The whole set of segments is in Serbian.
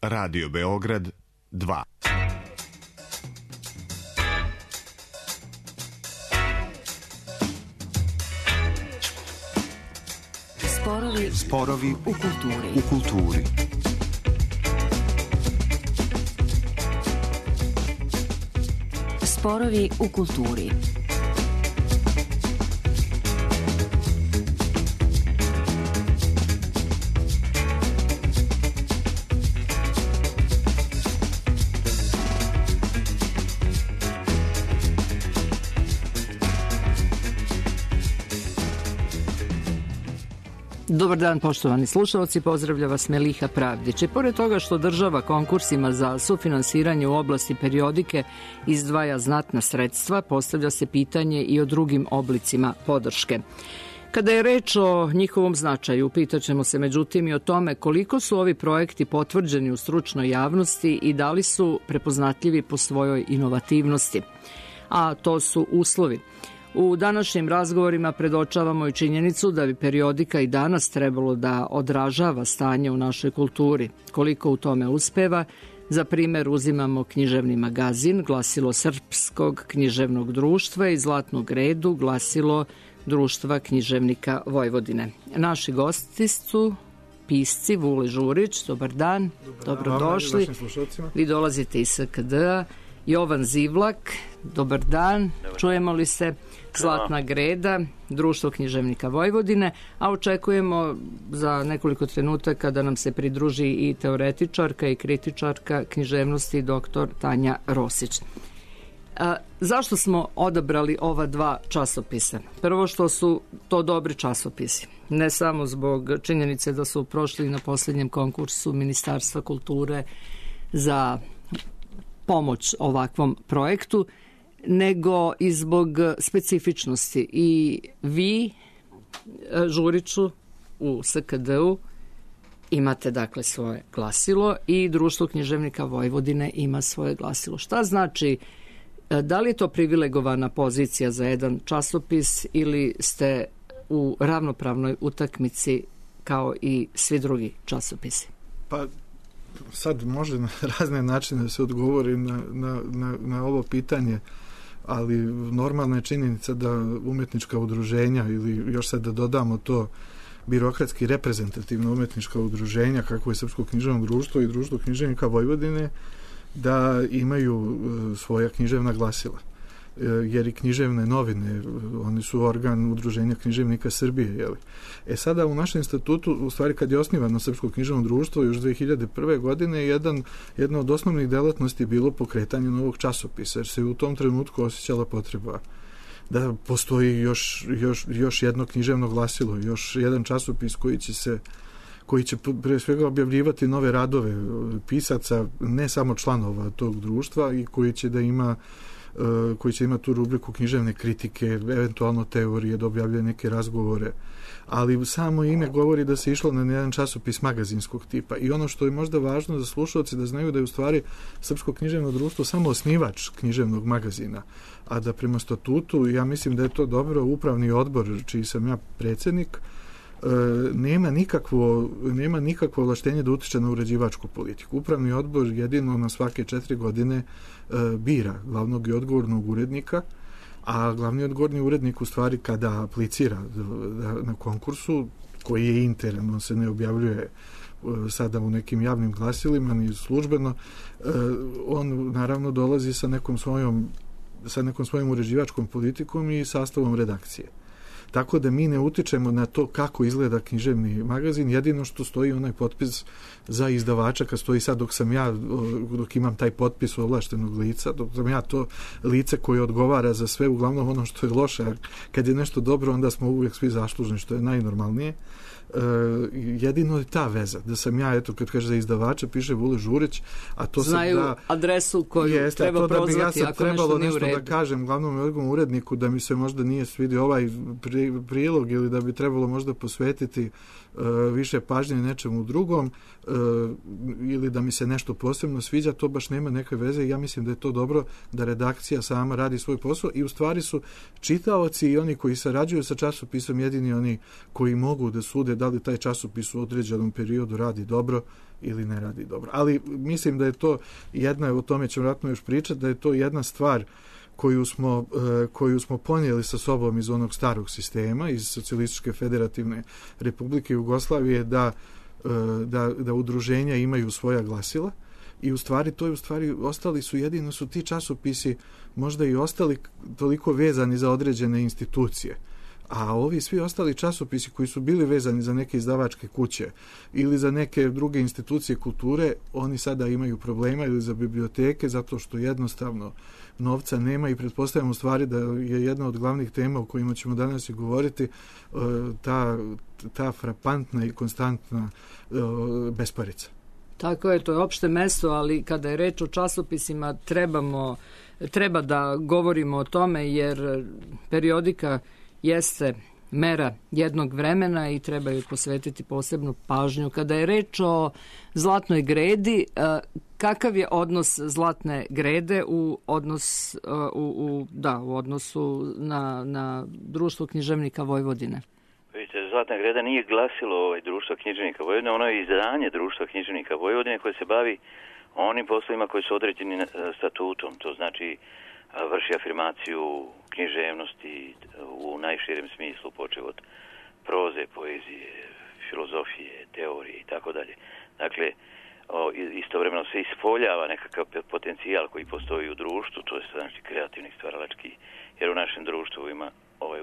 Radio Beograd 2. Sporovi u kulturi. Sporovi u kulturi. Dobar dan, poštovani slušalci, pozdravlja vas Meliha Pravdić. I pored toga što država konkursima za sufinansiranje u oblasti periodike izdvaja znatna sredstva, postavlja se pitanje i o drugim oblicima podrške. Kada je reč o njihovom značaju, pitaćemo se međutim i o tome koliko su ovi projekti potvrđeni u stručnoj javnosti i da li su prepoznatljivi po svojoj inovativnosti. A to su uslovi. U današnjim razgovorima predočavamo i činjenicu da bi periodika i danas trebalo da odražava stanje u našoj kulturi. Koliko u tome uspeva, za primer uzimamo književni magazin, glasilo Srpskog književnog društva i Zlatnog redu, glasilo Društva književnika Vojvodine. Naši gosti su pisci Vule Žurić, dobar dan, dobrodošli. Vi dolazite iz SKD-a. Jovan Zivlak, dobar dan, čujemo li se? Zlatna greda, Društvo književnika Vojvodine, a očekujemo za nekoliko trenutaka da nam se pridruži i teoretičarka i kritičarka književnosti dr. Tanja Rosić. Zašto smo odabrali ova dva časopisa? Prvo što su to dobri časopisi, ne samo zbog činjenice da su prošli na posljednjem konkursu Ministarstva kulture za pomoć ovakvom projektu, nego i zbog specifičnosti. I vi, Žuriću, u SKD-u imate dakle svoje glasilo i Društvo književnika Vojvodine ima svoje glasilo. Šta znači, da li je to privilegovana pozicija za jedan časopis ili ste u ravnopravnoj utakmici kao i svi drugi časopisi? Pa sad može na razne načine da se odgovori na ovo pitanje, ali normalna je činjenica da umetnička udruženja ili još sad da dodamo to birokratski reprezentativno umetnička udruženja kako je Srpsko književno društvo i Društvo književnika Vojvodine da imaju svoja književna glasila. Jer i književne novine, oni su organ udruženja književnika Srbije. Jeli? Sada u našem statutu, u stvari kad je osnivano Srpsko književno društvo još 2001. godine, jedna od osnovnih delatnosti je bilo pokretanje novog časopisa, jer se u tom trenutku osjećala potreba da postoji još jedno književno glasilo, još jedan časopis koji će pre svega objavljivati nove radove pisaca, ne samo članova tog društva i koji će imati tu rubriku književne kritike, eventualno teorije, da objavljuje neke razgovore. Ali samo ime govori da se išlo na jedan časopis magazinskog tipa. I ono što je možda važno za slušalce da znaju da je u stvari Srpsko književno društvo samo osnivač književnog magazina, a da prema statutu, ja mislim da je to dobro, upravni odbor, čiji sam ja predsjednik, nema nikakvo ovlaštenje da utiče na uređivačku politiku. Upravni odbor jedino na svake 4 godine bira glavnog i odgovornog urednika, a glavni odgovorni urednik u stvari kada aplicira na konkursu, koji je interno, on se ne objavljuje sada u nekim javnim glasilima ni službeno, on naravno dolazi sa nekom svojom uređivačkom politikom i sastavom redakcije. Tako da mi ne utičemo na to kako izgleda književni magazin, jedino što stoji onaj potpis za izdavača, kad stoji sad dok imam taj potpis ovlaštenog lica, dok sam ja to lice koje odgovara za sve, uglavnom ono što je loše, kad je nešto dobro, onda smo uvijek svi zaslužni, što je najnormalnije. Jedino je ta veza, da sam ja, eto, kad kaže za izdavača, piše Vule Žurić, a to znaju sam adresu koju treba prozvati ako nešto nije u redu. Da kažem glavnom i odgovornom uredniku da mi se možda nije svidio ovaj prilog ili da bi trebalo možda posvetiti više pažnje nečemu drugom ili da mi se nešto posebno sviđa, to baš nema neke veze i ja mislim da je to dobro da redakcija sama radi svoj posao i u stvari su čitaoci i oni koji sarađuju sa časopisom jedini oni koji mogu da sude kaže da li taj časopis u određenom periodu radi dobro ili ne radi dobro. Ali mislim da je to jedna, o tome ćemo vjerojatno još pričati, da je to jedna stvar koju smo ponijeli sa sobom iz onog starog sistema, iz Socijalističke federativne Republike Jugoslavije, da udruženja imaju svoja glasila. I u stvari ostali su, jedino su ti časopisi možda i ostali toliko vezani za određene institucije. A ovi svi ostali časopisi koji su bili vezani za neke izdavačke kuće ili za neke druge institucije kulture, oni sada imaju problema, ili za biblioteke, zato što jednostavno novca nema, i pretpostavljam u stvari da je jedna od glavnih tema o kojima ćemo danas i govoriti ta frapantna i konstantna besparica. Tako je, to je opšte mesto, ali kada je reč o časopisima treba da govorimo o tome, jer periodika jeste mera jednog vremena i treba joj posvetiti posebnu pažnju. Kada je reč o Zlatnoj gredi, kakav je odnos Zlatne grede u odnosu na Društvo književnika Vojvodine? Vidite, Zlatna greda nije glasilo Društvo književnika Vojvodine, ono je izdanje Društva književnika Vojvodine koje se bavi onim poslovima koji su određeni statutom. To znači vrši afirmaciju književnosti u najširem smislu, počev od proze, poezije, filozofije, teorije i tako dalje. Dakle, istovremeno se ispoljava nekakav potencijal koji postoji u društvu, to je znači kreativni, stvaralački, jer u našem društvu ima,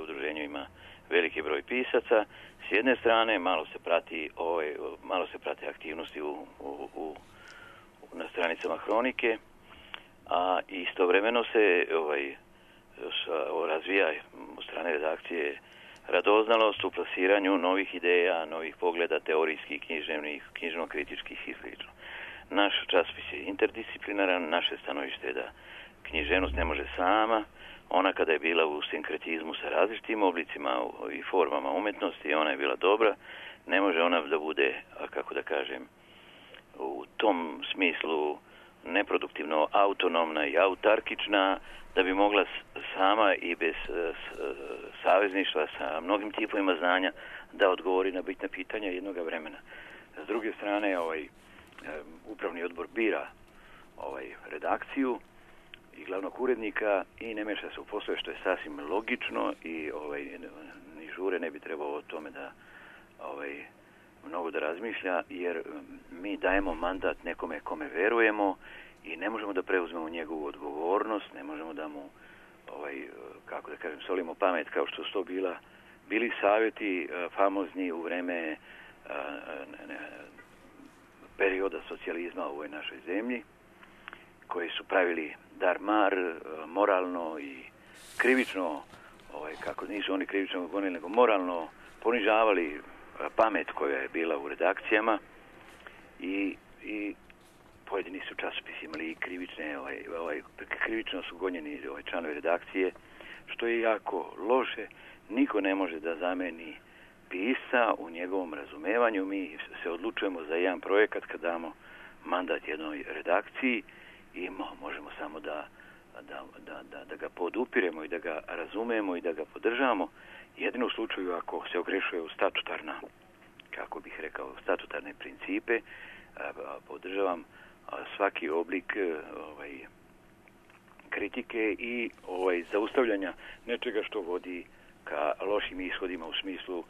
udruženju ima veliki broj pisaca. S jedne strane malo se prate aktivnosti na stranicama Hronike, a istovremeno se razvija od strane redakcije radoznalost u plasiranju novih ideja, novih pogleda, teorijskih, književnih, knjižno-kritičkih i sl. Naš časopis je interdisciplinaran, naše stanovište je da književnost ne može sama. Ona kada je bila u sinkretizmu sa različitim oblicima i formama umetnosti, ona je bila dobra. Ne može ona da bude, kako da kažem, u tom smislu neproduktivno autonomna i autarkična, da bi mogla sama i bez savezništva sa mnogim tipovima znanja da odgovori na bitna pitanja jednog vremena. S druge strane, upravni odbor bira redakciju i glavnog urednika i ne meša se u poslove, što je sasvim logično, i ni žure ne bi trebao o tome da mnogo da razmišlja, jer mi dajemo mandat nekome kome verujemo i ne možemo da preuzmemo njegovu odgovornost, ne možemo da mu kako da kažem, solimo pamet kao što su to bili savjeti famozni u vreme perioda socijalizma u ovoj našoj zemlji, koji su pravili dar-mar, moralno i krivično, kako nisu oni krivično gonili, nego moralno ponižavali pamet koja je bila u redakcijama, i pojedini su časopisi imali i krivično su gonjeni članovi redakcije, što je jako loše. Niko ne može da zameni pisca u njegovom razumevanju. Mi se odlučujemo za jedan projekat kad damo mandat jednoj redakciji i možemo samo da ga podupiremo i da ga razumemo i da ga podržavamo. Jedino u slučaju ako se ogrešuje u statutarne principe, podržavam svaki oblik kritike i zaustavljanja nečega što vodi ka lošim ishodima u smislu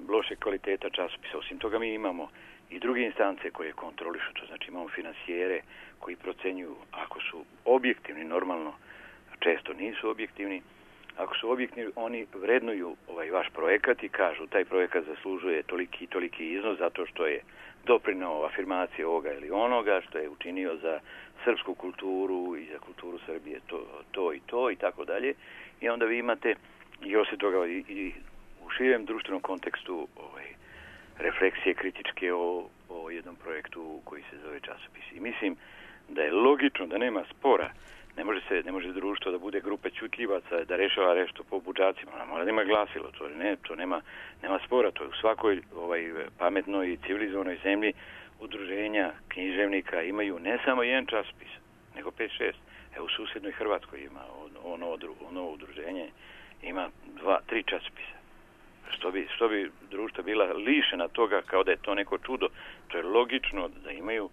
loše kvaliteta časopisa. Osim toga mi imamo i druge instance koje kontrolišu, to znači imamo finansijere koji procenjuju, ako su objektivni, normalno često nisu objektivni, ako su objektivni, oni vrednuju vaš projekat i kažu taj projekat zaslužuje toliki iznos zato što je doprineo afirmacije ovoga ili onoga, što je učinio za srpsku kulturu i za kulturu Srbije to i tako dalje. I onda vi imate i osim toga i u širem društvenom kontekstu refleksije kritičke o jednom projektu koji se zove časopis. I mislim da je logično da nema spora. Ne može društvo da bude grupe ćutljivaca, da rešava nešto po budžacima. Ona mora da ima glasilo, to nema spora. To je u svakoj pametnoj i civilizovanoj zemlji udruženja književnika imaju ne samo jedan časopis, nego 5-6. U susjednoj Hrvatskoj ima ono udruženje, ima 2-3 časopisa. što bi društva bila lišena toga kao da je to neko čudo. To je logično da imaju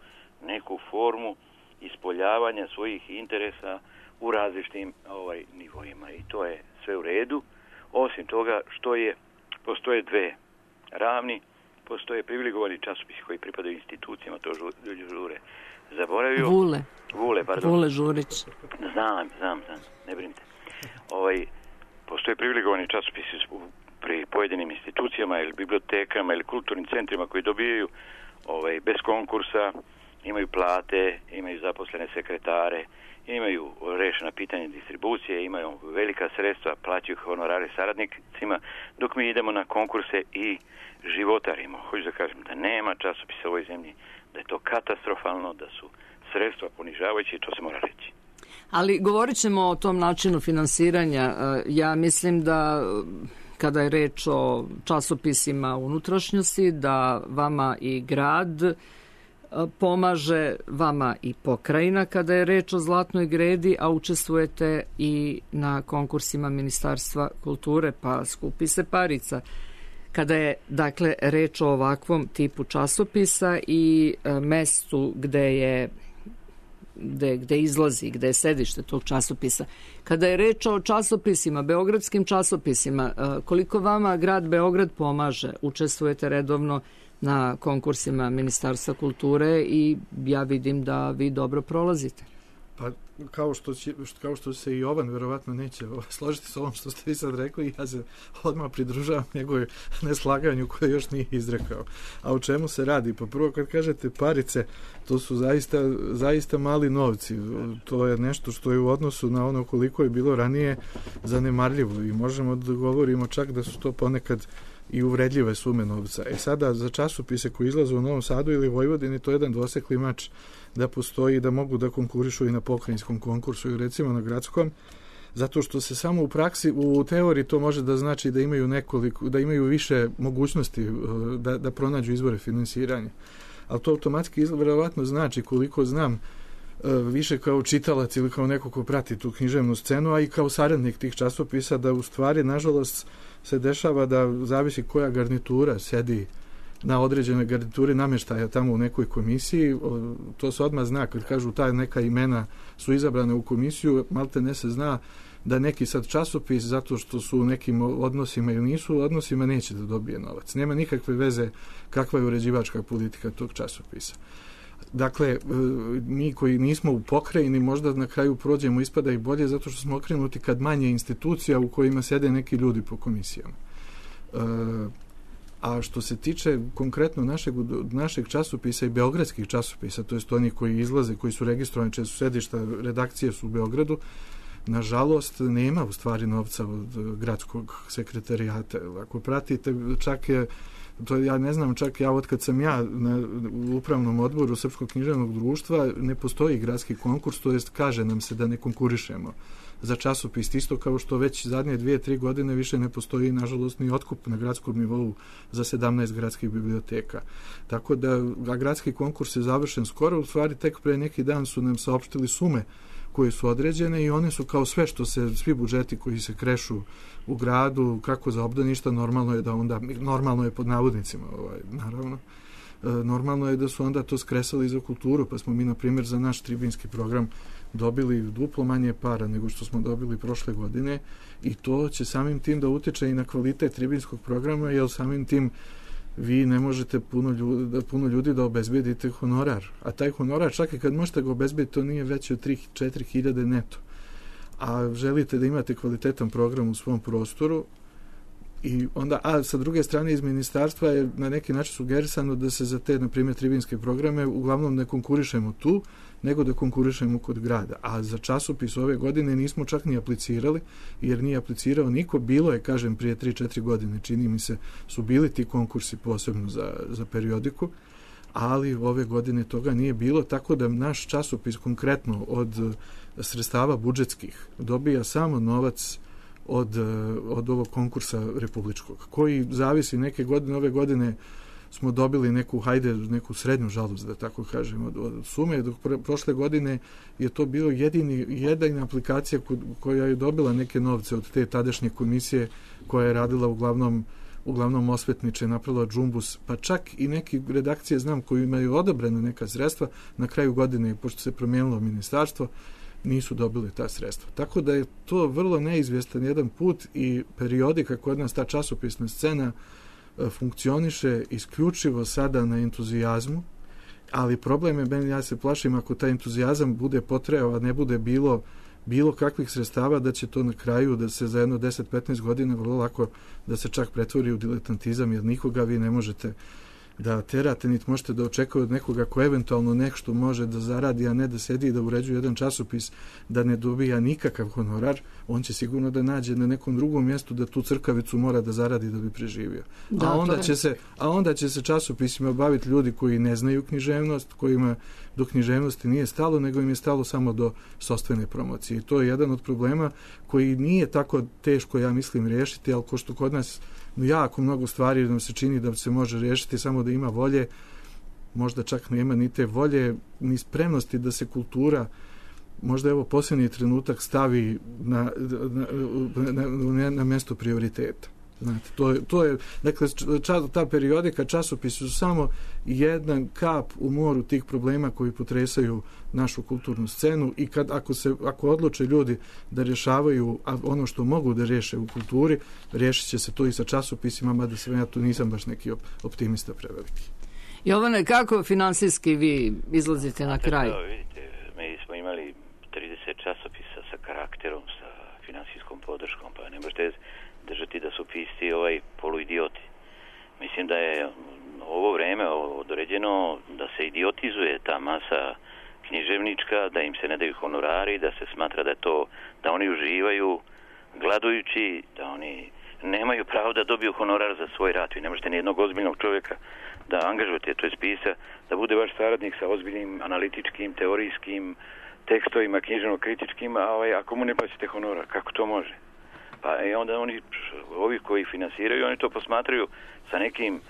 neku formu ispoljavanja svojih interesa u različitim nivoima i to je sve u redu. Osim toga postoje dve ravni, postoje privilegovani časopisi koji pripadaju institucijama, to ljudi žure zaboravio. Vule Žurić. Znam, ne brinite. Postoje privilegovani časopisi pri pojedinim institucijama ili bibliotekama ili kulturnim centrima koji dobijaju bez konkursa, imaju plate, imaju zaposlene sekretare, imaju rešena pitanja distribucije, imaju velika sredstva, plaćaju honorare saradnicima, dok mi idemo na konkurse i životarimo. Hoću da kažem da nema časopisa u ovoj zemlji, da je to katastrofalno, da su sredstva ponižavajuće i to se mora reći. Ali govorit ćemo o tom načinu finansiranja. Ja mislim da kada je reč o časopisima unutrašnjosti, da vama i grad pomaže, vama i pokrajina kada je reč o Zlatnoj gredi, a učestvujete i na konkursima Ministarstva kulture, pa skupi se parica. Kada je, dakle, reč o ovakvom tipu časopisa i mestu gde izlazi, gde je sedište tog časopisa. Kada je reč o časopisima, beogradskim časopisima, koliko vama grad Beograd pomaže? Učestvujete redovno na konkursima Ministarstva kulture i ja vidim da vi dobro prolazite. Pa kao što se i Jovan verovatno neće složiti s ovom što ste vi sad rekli, ja se odmah pridružavam njegove neslaganju koje još nije izrekao. A o čemu se radi? Pa prvo kad kažete parice, to su zaista mali novci. To je nešto što je u odnosu na ono koliko je bilo ranije zanemarljivo i možemo da govorimo čak da su to ponekad i uvredljive sume novca. Sada za časopise koji izlaze u Novom Sadu ili Vojvodini to je jedan dvosekli mač da postoji, da mogu da konkurišu i na pokrajinskom konkursu i recimo na gradskom, zato što se samo u praksi, u teoriji to može da znači da imaju više mogućnosti da pronađu izvore finansiranja. Ali to automatski verovatno znači, koliko znam, više kao čitalac ili kao neko ko prati tu književnu scenu, a i kao saradnik tih časopisa, da u stvari, nažalost, se dešava da zavisi koja garnitura sedi na određene garniture namještaja tamo u nekoj komisiji. To se odmah zna kad kažu ta neka imena su izabrane u komisiju, malte ne se zna da neki sad časopis, zato što su u nekim odnosima ili nisu u odnosima, neće da dobije novac. Nema nikakve veze kakva je uređivačka politika tog časopisa. Dakle, mi koji nismo u pokrajini možda na kraju prođemo, ispada i bolje, zato što smo okrenuti kad manje institucija u kojima sede neki ljudi po komisijama. A što se tiče konkretno našeg časopisa i beogradskih časopisa, to jest oni koji izlaze, koji su registrovani, čije su sedišta, redakcije su u Beogradu, nažalost nema u stvari novca od gradskog sekretarijata. Ako pratite, čak je to ja ne znam, čak ja otkad sam ja u upravnom odboru Srpskog književnog društva ne postoji gradski konkurs, to jest kaže nam se da ne konkurišemo za časopis, isto kao što već zadnje 2-3 godine više ne postoji nažalost ni otkup na gradskom nivou za 17 gradskih biblioteka. Tako da gradski konkurs je završen skoro, u stvari tek pre neki dan su nam saopštili sume koje su određene i one su kao sve što se, svi budžeti koji se krešu u gradu, kako za obdaništa, normalno je pod navodnicima, naravno, normalno je da su onda to skresali za kulturu, pa smo mi, na primjer, za naš tribinski program dobili duplo manje para nego što smo dobili prošle godine i to će samim tim da utiče i na kvalitet tribinskog programa, jer samim tim vi ne možete puno ljudi da obezbedite honorar. A taj honorar, čak i kad možete ga obezbediti, to nije veće od 3-4 hiljade neto. A želite da imate kvalitetan program u svom prostoru i onda, a sa druge strane iz ministarstva je na neki način sugerisano da se za te, na primjer, tribinske programe uglavnom ne konkurišemo tu, nego da konkurišemo kod grada. A za časopis ove godine nismo čak ni aplicirali, jer nije aplicirao niko. Bilo je, kažem, prije 3-4 godine, čini mi se, su bili ti konkursi posebno za periodiku, ali ove godine toga nije bilo, tako da naš časopis konkretno od sredstava budžetskih dobija samo novac od ovog konkursa republičkog, koji zavisi neke godine. Ove godine smo dobili neku srednju žalost, da tako kažem, od sume, dok prošle godine je to bilo jedina aplikacija koja je dobila neke novce od te tadašnje komisije koja je radila uglavnom uglavnom osvetniče, napravila džumbus, pa čak i neki redakcije znam koji imaju odobrene neka sredstva, na kraju godine, pošto se promijenilo ministarstvo, nisu dobili ta sredstva. Tako da je to vrlo neizvjestan jedan put i periodika kod nas, ta časopisna scena, funkcioniše isključivo sada na entuzijazmu, ali problem je, ja se plašim, ako taj entuzijazam bude potrajao, a ne bude bilo kakvih sredstava, da će to na kraju, da se za jedno 10-15 godina vrlo lako da se čak pretvori u diletantizam, jer nikoga vi ne možete da terate, niti možete da očekujete od nekoga ko eventualno nešto može da zaradi, a ne da sedi i da uređuje jedan časopis, da ne dobija nikakav honorar, on će sigurno da nađe na nekom drugom mjestu da tu crkavicu mora da zaradi da bi preživio. Da, a onda će se časopisima baviti ljudi koji ne znaju književnost, kojima do književnosti nije stalo, nego im je stalo samo do sopstvene promocije. I to je jedan od problema koji nije tako teško, ja mislim, riješiti, ali ko što kod nas jako mnogo stvari nam se čini da se može riješiti samo da ima volje, možda čak nema ni te volje, ni spremnosti da se kultura, možda evo posljednji trenutak, stavi na mjesto prioriteta. Znate, to je, dakle, ta periodika, časopisi su samo jedan kap u moru tih problema koji potresaju našu kulturnu scenu i ako odluče ljudi da rješavaju ono što mogu da riješe u kulturi, riješit će se to i sa časopisima, mada ja tu nisam baš neki optimista preveliki. Jovane, kako finansijski vi izlazite na kraj? Vidite, mi smo imali 30 časopisa sa karakterom, sa finansijskom podrškom, pa ne možete držati da su pisci poluidioti. Mislim da je ovo vreme određeno da se idiotizuje ta masa književnička, da im se ne daju honorari, da se smatra da oni uživaju gladujući, da oni nemaju pravo da dobiju honorar za svoj rad. Vi ne možete nijednog ozbiljnog čovjeka da angažujete, to je pisca, da bude vaš saradnik sa ozbiljnim analitičkim, teorijskim tekstovima, književno-kritičkim, ako mu ne plaćate honorar, kako to može? Pa i onda ovi koji finansiraju, oni to posmatraju sa nekim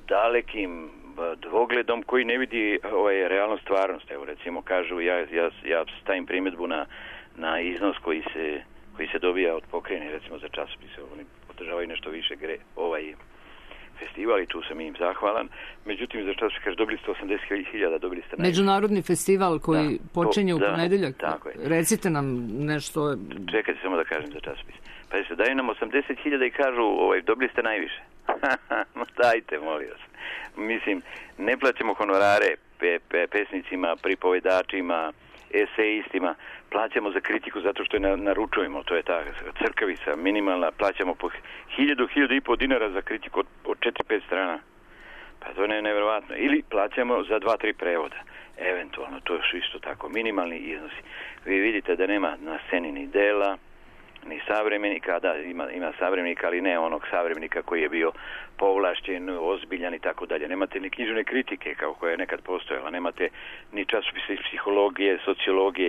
dalekim dvogledom koji ne vidi realnu stvarnost. Evo recimo kažu, ja stavim primjedbu na iznos koji se dobija od pokrajine, recimo za časopise. Oni podržavaju nešto više festival i tu sam im zahvalan. Međutim, za časopise kaže dobili ste 80.000, dobili ste najviše. Međunarodni festival koji počinje u ponedjeljak. Tako je. Recite nam nešto. Čekajte samo da kažem za časopis. Pa se daju nam 80.000 i kažu dobili ste najviše. Dajte, molim vas. Mislim, ne plaćamo honorare pesnicima, pripovedačima, esejistima, plaćamo za kritiku zato što je naručujemo, to je ta crkavica minimalna, plaćamo po 1.000-1.500 dinara za kritiku od 4-5 strana. Pa to je nevjerovatno. Ili plaćamo za 2-3 prevoda. Eventualno, to su isto tako minimalni iznosi. Vi vidite da nema na sceni ni dela, ni savremenika, da ima savremenika, ali ne onog savremenika koji je bio povlašćen, ozbiljan i tako dalje. Nemate ni književne kritike kao koja je nekad postojala, nemate ni časopise iz psihologije, sociologije,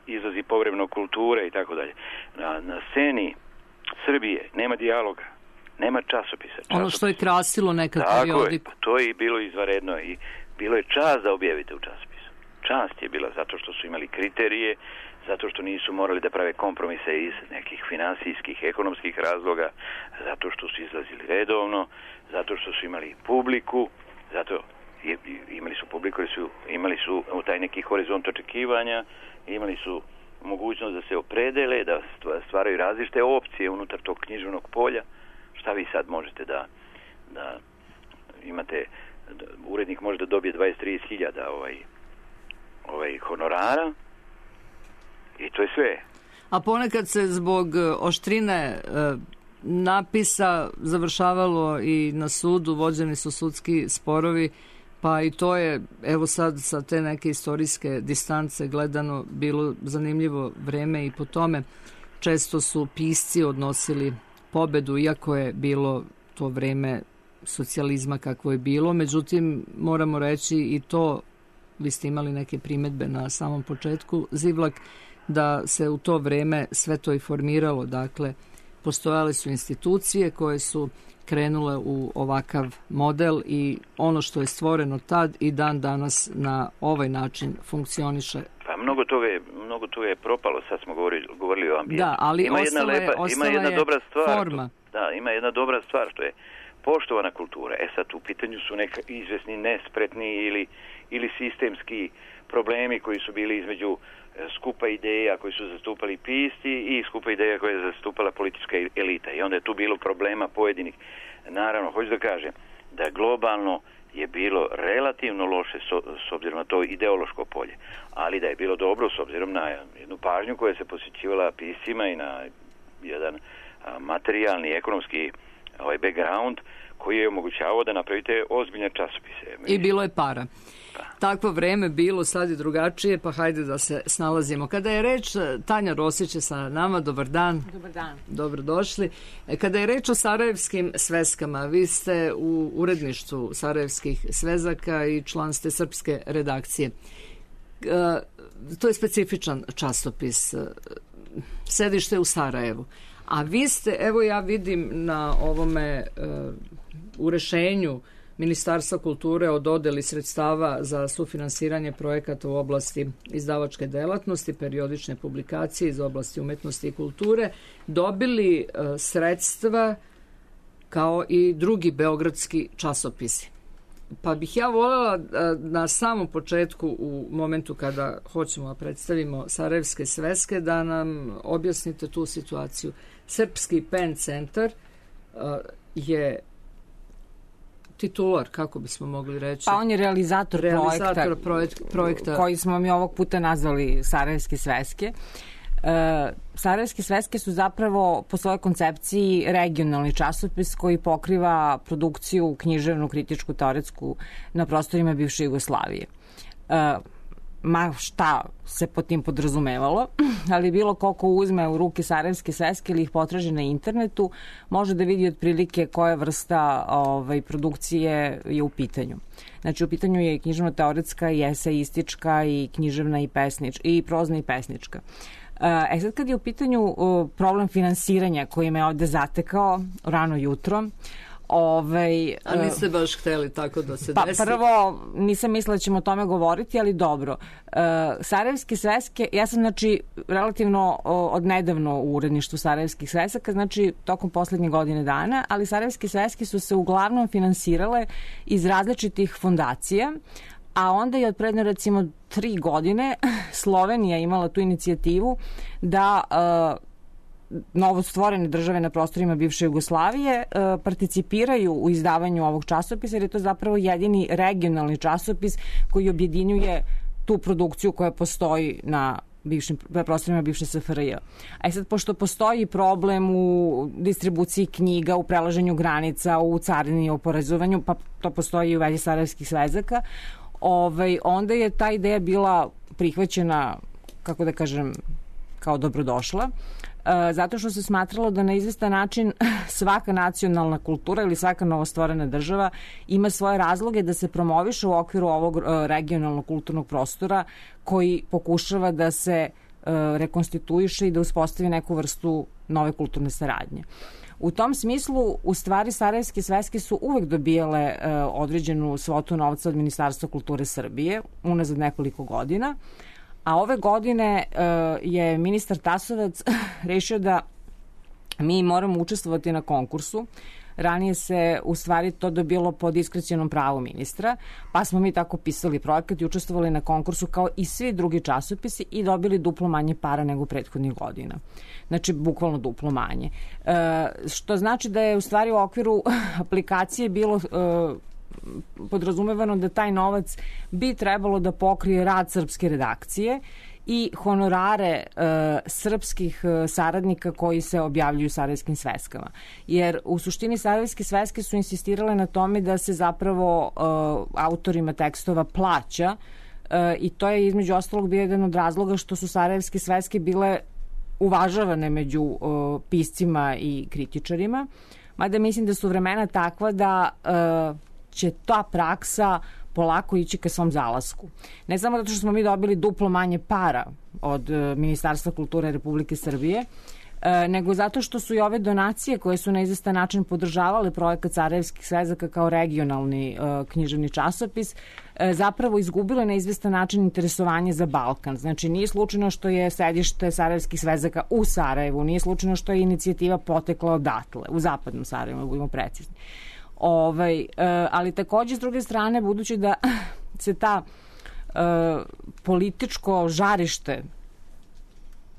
izlazi povremeno kulture i tako dalje. Na sceni Srbije nema dijaloga, nema časopisa. Ono što je krasilo nekad periodiku. Tako je, to je bilo izvanredno i bilo je čast da objavite u časopisu. Čast je bila zato što su imali kriterije, zato što nisu morali da prave kompromise iz nekih finansijskih, ekonomskih razloga, zato što su izlazili redovno, zato što su imali publiku, imali su publiku, imali su taj neki horizont očekivanja, imali su mogućnost da se opredele, da stvaraju različite opcije unutar tog književnog polja. Šta vi sad možete da imate, urednik može da dobije 20-30 hiljada honorara, i to je sve. A ponekad se zbog oštrine napisa završavalo i na sudu, vođeni su sudski sporovi, pa i to je, evo sad sa te neke istorijske distance gledano, bilo zanimljivo vreme i po tome. Često su pisci odnosili pobedu, iako je bilo to vreme socijalizma kakvo je bilo. Međutim, moramo reći i to, vi ste imali neke primjedbe na samom početku, Zivlak, da se u to vreme sve to i formiralo. Dakle, postojale su institucije koje su krenule u ovakav model i ono što je stvoreno tad i dan danas na ovaj način funkcioniše. Pa mnogo toga je propalo, sad smo govorili o ambijentu. Da, ali ima jedna dobra stvar, forma. Da, ima jedna dobra stvar, što je poštovana kultura. Sad u pitanju su neka izvesni nespretni ili sistemski problemi koji su bili između skupa ideja koji su zastupali pisci i skupa ideja koja je zastupala politička elita. I onda je tu bilo problema pojedinih. Naravno, hoću da kažem da globalno je bilo relativno loše s obzirom na to ideološko polje, ali da je bilo dobro s obzirom na jednu pažnju koja se posvećivala piscima i na jedan materijalni, ekonomski background koji je omogućavao da napravite ozbiljne časopise. I bilo je para. Takvo vreme bilo, sad je drugačije, pa hajde da se snalazimo. Kada je reč, Tanja Rosić je sa nama, dobar dan. Dobar dan. Dobrodošli. Kada je reč o sarajevskim sveskama, vi ste u uredništvu sarajevskih svezaka i član ste srpske redakcije. To je specifičan časopis. Sedište u Sarajevu. A vi ste, evo ja vidim na ovome u rešenju Ministarstva kulture o dodeli sredstava za sufinansiranje projekata u oblasti izdavačke delatnosti, periodične publikacije iz oblasti umetnosti i kulture, dobili sredstva kao i drugi beogradski časopisi. Pa bih ja voljela na samom početku, u momentu kada hoćemo da predstavimo Sarajevske sveske, da nam objasnite tu situaciju. Srpski PEN centar je titular, kako bismo mogli reći? Pa on je realizator projekta koji smo mi ovog puta nazvali Sarajevske sveske. Sarajevske sveske su zapravo po svojoj koncepciji regionalni časopis koji pokriva produkciju književnu, kritičku, teoretsku na prostorima bivše Jugoslavije. Ma šta se pod tim podrazumevalo, ali bilo koliko uzme u ruke Sarajevske sveske ili ih potraži na internetu, može da vidi otprilike koja vrsta produkcije je u pitanju. Znači, u pitanju je književno-teoretska i eseistička i književna i prozna i pesnička. Sad kad je u pitanju problem finansiranja koji me ovde zatekao rano jutro, a niste baš hteli tako da se desi? Prvo, nisam mislila da ćemo o tome govoriti, ali dobro. Sarajevske sveske, ja sam relativno odnedavno u uredništvu Sarajevskih svesaka, znači tokom poslednje godine dana, ali Sarajevske sveske su se uglavnom finansirale iz različitih fondacija, a onda je od predno recimo 3 godine Slovenija imala tu inicijativu da novostvorene države na prostorima bivše Jugoslavije participiraju u izdavanju ovog časopisa, jer je to zapravo jedini regionalni časopis koji objedinjuje tu produkciju koja postoji na prostorima bivše SFRJ. A sad, pošto postoji problem u distribuciji knjiga, u prelaženju granica, u carini i oporezovanju, pa to postoji i u vezi Sarajevskih svezaka, onda je ta ideja bila prihvaćena, kako da kažem, kao dobrodošla, zato što se smatralo da na izvestan način svaka nacionalna kultura ili svaka novostvorena država ima svoje razloge da se promoviše u okviru ovog regionalnog kulturnog prostora koji pokušava da se rekonstituiše i da uspostavi neku vrstu nove kulturne saradnje. U tom smislu, u stvari, Sarajevske sveske su uvek dobijale određenu svotu novca od Ministarstva kulture Srbije, unazad nekoliko godina, a ove godine je ministar Tasovac rešio da mi moramo učestvovati na konkursu. Ranije se u stvari to dobilo po diskrecionom pravu ministra, pa smo mi tako pisali projekat i učestvovali na konkursu kao i svi drugi časopisi i dobili duplo manje para nego prethodnih godina. Znači, bukvalno duplo manje. Što znači da je u stvari u okviru aplikacije bilo podrazumevano da taj novac bi trebalo da pokrije rad srpske redakcije i honorare srpskih saradnika koji se objavljuju u Sarajevskim sveskama. Jer u suštini Sarajevske sveske su insistirale na tome da se zapravo autorima tekstova plaća i to je između ostalog bio jedan od razloga što su Sarajevske sveske bile uvažavane među piscima i kritičarima. Mada mislim da su vremena takva da će ta praksa polako ići ka svom zalasku. Ne samo zato što smo mi dobili duplo manje para od Ministarstva kulture Republike Srbije, nego zato što su i ove donacije koje su na izvestan način podržavale projekat Sarajevskih svezaka kao regionalni književni časopis, zapravo izgubile na izvestan način interesovanje za Balkan. Znači, nije slučajno što je sedište Sarajevskih svezaka u Sarajevu, nije slučajno što je inicijativa potekla odatle, u zapadnom Sarajevu, budemo precizni. Ali takođe, s druge strane, budući da se ta političko žarište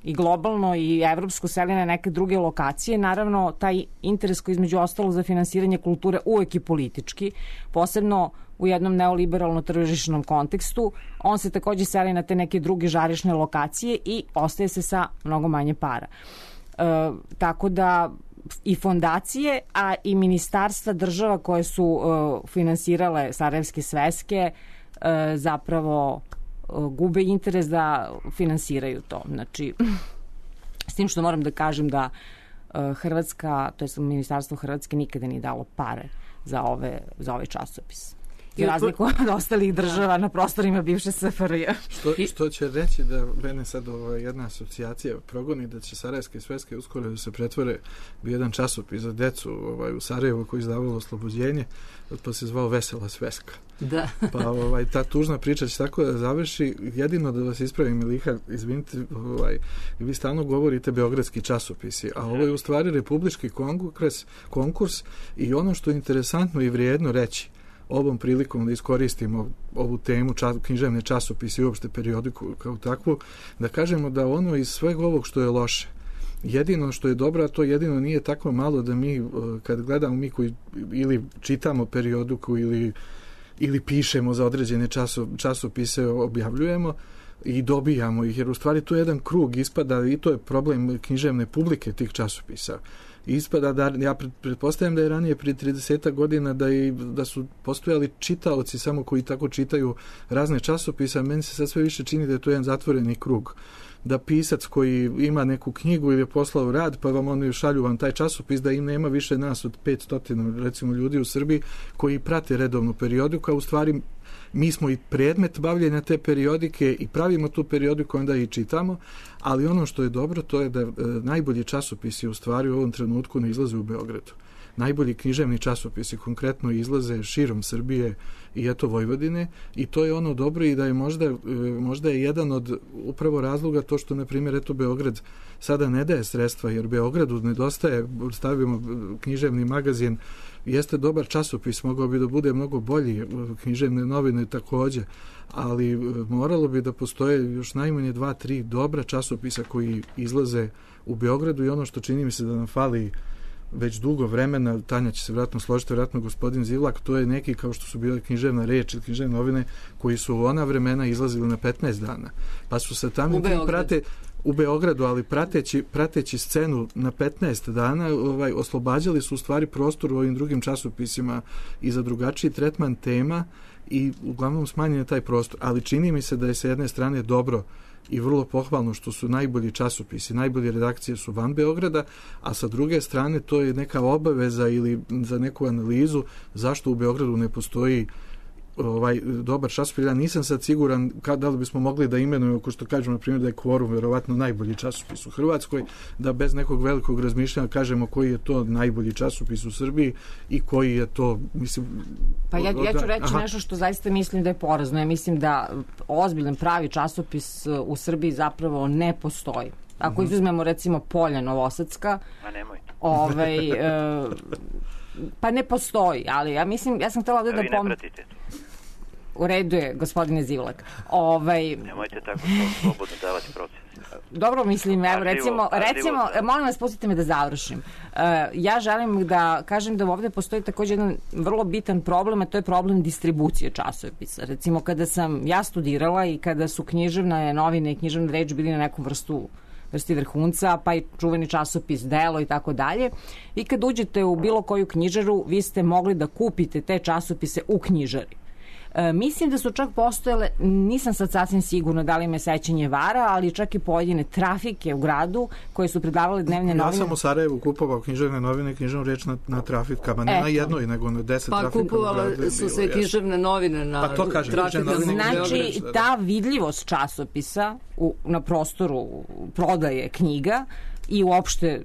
i globalno i evropsko seli na neke druge lokacije, naravno taj interes koji između ostalog za finansiranje kulture uvek je politički, posebno u jednom neoliberalno tržišnom kontekstu, on se takođe seli na te neke druge žarišne lokacije i ostaje se sa mnogo manje para. Tako da i fondacije, a i ministarstva država koje su finansirale Sarajevske sveske zapravo gube interes da finansiraju to. Znači, s tim što moram da kažem da Hrvatska, to je Ministarstvo Hrvatske nikada nije dalo pare za ovaj časopis. I razliku od ostalih država na prostorima bivše SFRJ. Što će reći da mene sad jedna asocijacija progoni da će Sarajevske sveske uskoro da se pretvore u jedan časopis za decu u Sarajevu koji izdavalo Oslobođenje, pa se zvao Vesela sveska. Da. Pa ta tužna priča će tako da završi. Jedino da vas ispravim, Miliha, izvinite, vi stalno govorite beogradski časopisi, a ovo je u stvari republički konkurs i ono što je interesantno i vrijedno reći ovom prilikom da iskoristimo ovu temu književne časopise i uopšte periodiku kao takvu, da kažemo da ono iz svega ovog što je loše, jedino što je dobro, a to jedino nije tako malo da mi, kad gledamo mi koji ili čitamo periodiku ili pišemo za određene časopise, objavljujemo i dobijamo ih, jer u stvari to je jedan krug, ispada i to je problem književne publike tih časopisa. Ispada da, ja pretpostavljam da je ranije prije 30 godina da su postojali čitaoci samo koji tako čitaju razne časopise, a meni se sad sve više čini da je to jedan zatvoreni krug. Da pisac koji ima neku knjigu ili je poslao rad, pa vam oni šalju vam taj časopis, da im nema više nas od 500 recimo ljudi u Srbiji koji prate redovnu periodiku, a u stvari mi smo i predmet bavljenja te periodike i pravimo tu periodiku, onda i čitamo, ali ono što je dobro to je da najbolji časopisi u stvari u ovom trenutku ne izlaze u Beogradu. Najbolji književni časopisi konkretno izlaze širom Srbije i eto Vojvodine i to je ono dobro i da je možda je jedan od upravo razloga to što na primjer eto Beograd sada ne daje sredstva jer Beogradu nedostaje, stavimo književni magazin, jeste dobar časopis, mogao bi da bude mnogo bolji, književne novine takođe, ali moralo bi da postoje još najmanje 2-3 dobra časopisa koji izlaze u Beogradu i ono što čini mi se da nam fali već dugo vremena, Tanja će se vjerojatno složiti, vjerojatno gospodin Zivlak, to je neki kao što su bile književna reč ili književne novine koji su u ona vremena izlazili na 15 dana. Pa su se tamo u Beogradu, ali prateći scenu na 15 dana oslobađali su u stvari prostor u ovim drugim časopisima i za drugačiji tretman tema i uglavnom smanjen je taj prostor. Ali čini mi se da je sa jedne strane dobro i vrlo pohvalno što su najbolji časopisi, najbolje redakcije su van Beograda, a sa druge strane to je neka obaveza ili za neku analizu zašto u Beogradu ne postoji dobar časopis. Ja nisam sad siguran da li bismo mogli da imenujemo, ako što kažemo, na primjer, da je Kvorum verovatno najbolji časopis u Hrvatskoj, da bez nekog velikog razmišljanja kažemo koji je to najbolji časopis u Srbiji i koji je to, mislim... Pa ja ću reći nešto što zaista mislim da je porazno. Ja mislim da ozbiljan pravi časopis u Srbiji zapravo ne postoji. Ako izuzmemo recimo Polja Novosadska... A nemojte. Pa ne postoji, ali ja mislim, ja sam htjela ovdje da... Vi ne pratite to. U redu je, gospodine Zivlak. Nemojte tako slobodno davati procene. Dobro, mislim, evo, recimo, molim vas, pustite me da završim. Ja želim da kažem da ovdje postoji također jedan vrlo bitan problem, a to je problem distribucije časopisa. Recimo, kada sam ja studirala i kada su književne novine i književna reč bili na nekom vrsti vrhunca, pa i čuveni časopis Delo i tako dalje. I kad uđete u bilo koju knjižaru, vi ste mogli da kupite te časopise u knjižari. Mislim da su čak postojale, nisam sad sasvim sigurno da li me sećanje vara, ali čak i pojedine trafike u gradu koje su predavale dnevne novine. Ja sam u Sarajevu kupovao književne novine i književnu reč na trafikama, ne na jednoj, nego na 10 trafikama. Pa kupovale su se književne novine na trafikama. Znači, ta vidljivost časopisa na prostoru prodaje knjiga i uopšte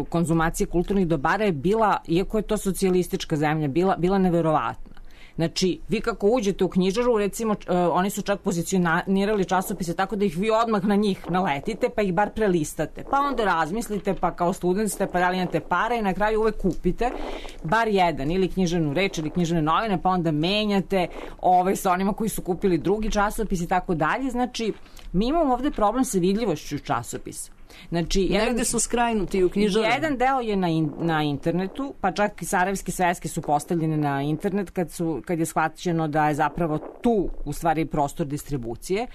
konzumacije kulturnih dobara je bila, iako je to socijalistička zemlja, bila neverovatna. Znači, vi kako uđete u knjižaru, recimo, oni su čak pozicionirali časopise tako da ih vi odmah na njih naletite, pa ih bar prelistate. Pa onda razmislite, pa kao student ste, pa da li imate pare i na kraju uvek kupite bar jedan, ili književnu reč, ili književne novine, pa onda menjate sa onima koji su kupili drugi časopis i tako dalje. Znači, mi imamo ovde problem sa vidljivošću časopisa. Znači, negde su skrajnuti u knjižarama. Jedan deo je na internetu, pa čak i sarajevske sveske su postavljene na internet kad je shvaćeno da je zapravo tu u stvari prostor distribucije.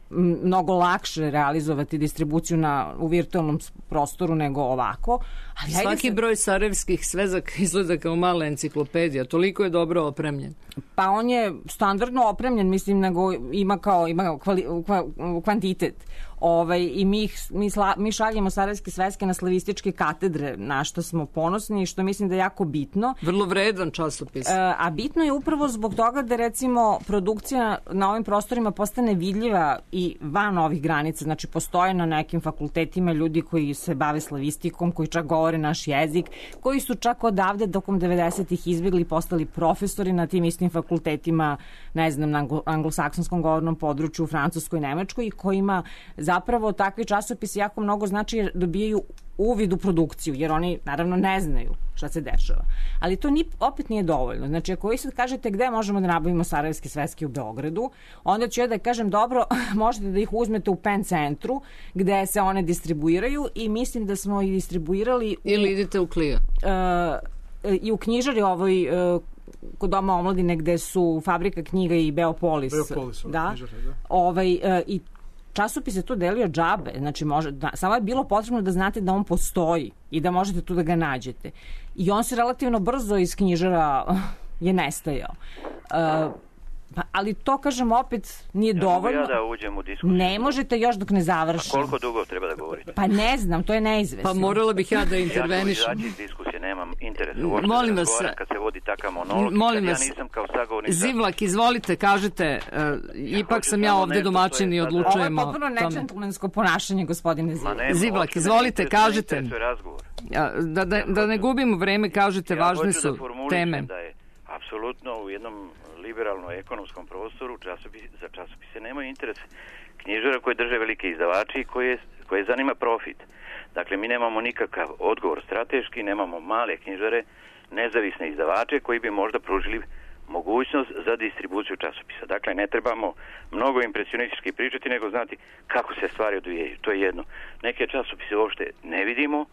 Mnogo lakše realizovati distribuciju u virtualnom prostoru nego ovako. Ali svaki broj sarajevskih svezaka izgleda kao mala enciklopedija, toliko je dobro opremljen. Pa on je standardno opremljen, mislim, nego ima kvantitet. I mi šaljemo sarajevske sveske na slavističke katedre, na što smo ponosni i što mislim da je jako bitno. Vrlo vredan časopis. A bitno je upravo zbog toga da recimo produkcija na ovim prostorima postane vidljiva i van ovih granica. Znači, postoje na nekim fakultetima ljudi koji se bave slavistikom, koji čak govore naš jezik, koji su čak odavde tokom 90-ih izbjegli i postali profesori na tim istim fakultetima, ne znam, na anglosaksonskom govornom području, u Francuskoj, Nemačkoj, i kojima zapravo takvi časopisi jako mnogo znači dobijaju uvid u produkciju, jer oni naravno ne znaju šta se dešava. Ali to opet nije dovoljno. Znači, ako vi sad kažete gde možemo da nabavimo sarajevske sveske u Beogradu, onda ću ja da kažem, dobro, možete da ih uzmete u PEN centru, gde se one distribuiraju, i mislim da smo ih distribuirali ili idete u Klija. I u knjižari kod Doma omladine, gde su Fabrika knjiga i Beopolis. Da. I časopis je to delio džabe, znači samo je bilo potrebno da znate da on postoji i da možete tu da ga nađete. I on se relativno brzo iz knjižara je nestajao. Ali to, kažem, opet nije dovoljno. Ja da uđem u diskusiju. Ne možete još dok ne završim. A koliko dugo treba da govorite? Pa ne znam, to je neizvesno. Pa morala bih ja da intervenišem. Ja ću izaći iz diskusije, nemam interesa uopšte molim da vas, razgovaram kad se vodi takav monolog. Molim ja vas, nisam kao sagovornik. Zivlak, izvolite, kažete, ipak sam ja ovde domaćin i odlučujemo. Ovo je potpuno nečentlemensko ponašanje, gospodine Zivlak. Zivlak, izvolite, kažete. Da ne gubimo vreme, kažete, važne su teme. Apsolutno u jednom liberalno-ekonomskom prostoru za časopise nemaju interes knjižara koje drže velike izdavači i koje zanima profit. Dakle, mi nemamo nikakav odgovor strateški, nemamo male knjižare, nezavisne izdavače koji bi možda pružili mogućnost za distribuciju časopisa. Dakle, ne trebamo mnogo impresionistički pričati, nego znati kako se stvari odvijaju. To je jedno. Neke časopise uopšte ne vidimo,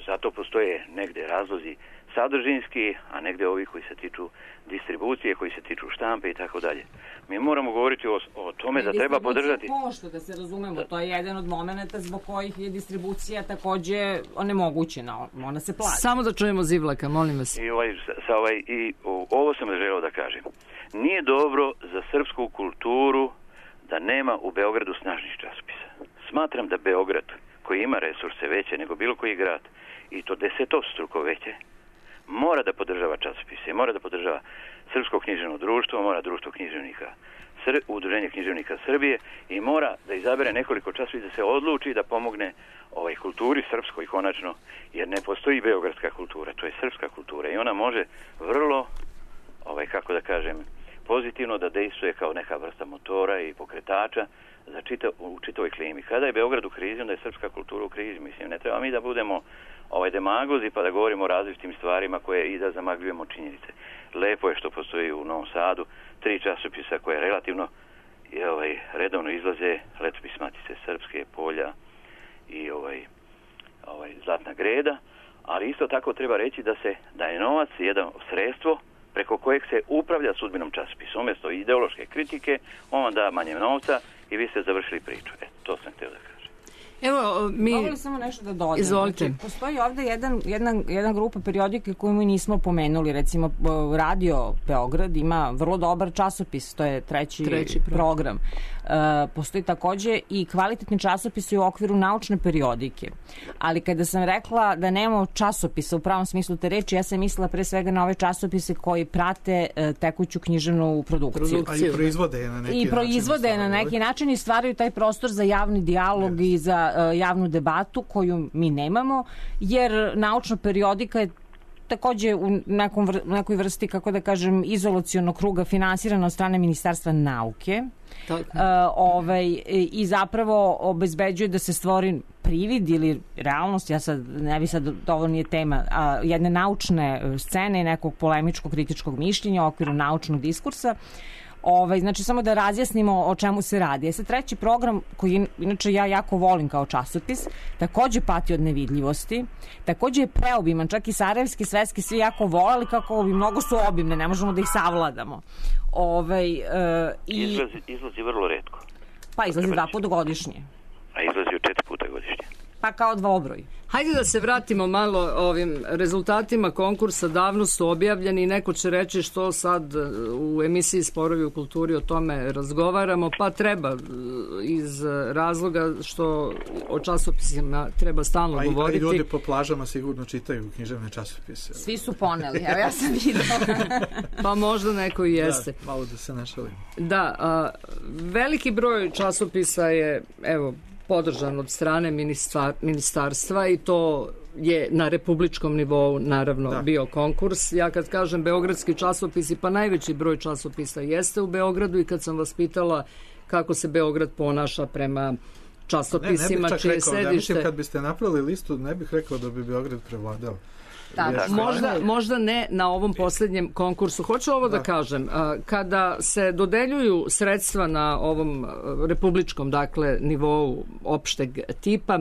zato postoje negde razlozi sadržinski, a negde ovi koji se tiču distribucije, koji se tiču štampe i tako dalje. Mi moramo govoriti o tome da treba podržati... Pošto, da se razumemo, to je jedan od momenta zbog kojih je distribucija takođe onemogućena, ona se plaća. Samo da čujemo Zivlaka, molim vas. Ovo sam želeo da kažem. Nije dobro za srpsku kulturu da nema u Beogradu snažnih časopisa. Smatram da Beograd, koji ima resurse veće nego bilo koji grad, i to desetostruko veće, mora da podržava časopise, mora da podržava Srpsko književno društvo, mora društvo književnika, Udruženje književnika Srbije, i mora da izabere nekoliko časopisa, da se odluči da pomogne kulturi srpskoj konačno, jer ne postoji beogradska kultura, to je srpska kultura i ona može vrlo, kako da kažem, pozitivno da dejstvuje kao neka vrsta motora i pokretača u čitavoj klimi. Kada je Beograd u krizi, onda je srpska kultura u krizi. Mislim, ne treba mi da budemo demagozi pa da govorimo o različitim stvarima koje i da zamagljujemo činjenice. Lepo je što postoji u Novom Sadu 3 časopisa koje relativno redovno izlaze: Letopis Matice Srpske, Polja i Zlatna greda, ali isto tako treba reći da je novac jedno sredstvo preko kojeg se upravlja sudbinom časopisa. Umjesto ideološke kritike, on vam da manje novca i vi ste završili priču. To sam htio da kažem. Evo, Mogu li samo nešto da dodam? Izvolite. Znači, postoji ovde jedna grupa periodike koju mi nismo pomenuli. Recimo, Radio Beograd ima vrlo dobar časopis, to je treći program. Postoji takođe i kvalitetni časopisi u okviru naučne periodike. Ali kada sam rekla da nemamo časopisa u pravom smislu te reči, ja sam mislila pre svega na ove časopise koji prate tekuću književnu produkciju. A i proizvode je na neki način. I proizvode na neki način i stvaraju taj prostor za javni dijalog i javnu debatu koju mi nemamo, jer naučna periodika je takođe u nekoj vrsti, kako da kažem, izolacionog kruga finansirana od strane Ministarstva nauke. I zapravo obezbeđuje da se stvori privid ili realnost, ovo nije tema, jedne naučne scene i nekog polemičkog kritičkog mišljenja u okviru naučnog diskursa. Znači, samo da razjasnimo o čemu se radi. Sad, treći program, koji inače ja jako volim kao časopis, takođe pati od nevidljivosti, takođe je preobiman, čak i sarajevski, svetski, svi jako volali, kako mnogo su obimne, ne možemo da ih savladamo. Izlazi vrlo retko. Pa izlazi 2 puta godišnje. A izlazi 4 puta godišnje. Pa kao dvobroj. Hajde da se vratimo malo ovim rezultatima konkursa, davno su objavljeni i neko će reći što sad u emisiji Sporovi u kulturi o tome razgovaramo, pa treba iz razloga što o časopisima treba stalno govoriti. I ljudi po plažama sigurno čitaju književne časopise. Svi su poneli, evo ja sam videla. Pa možda neko i jeste. Da, malo da se našalim. Da, veliki broj časopisa je, evo, podržan od strane ministarstva i to je na republičkom nivou naravno bio konkurs. Ja kad kažem beogradski časopisi, pa najveći broj časopisa jeste u Beogradu i kad sam vas pitala kako se Beograd ponaša prema časopisima čije sedište... Ja mislim kad biste napravili listu ne bih rekao da bi Beograd prevladao. Možda ne na ovom posljednjem konkursu. Hoću ovo da kažem. Kada se dodeljuju sredstva na ovom republičkom, dakle, nivou opšteg tipa,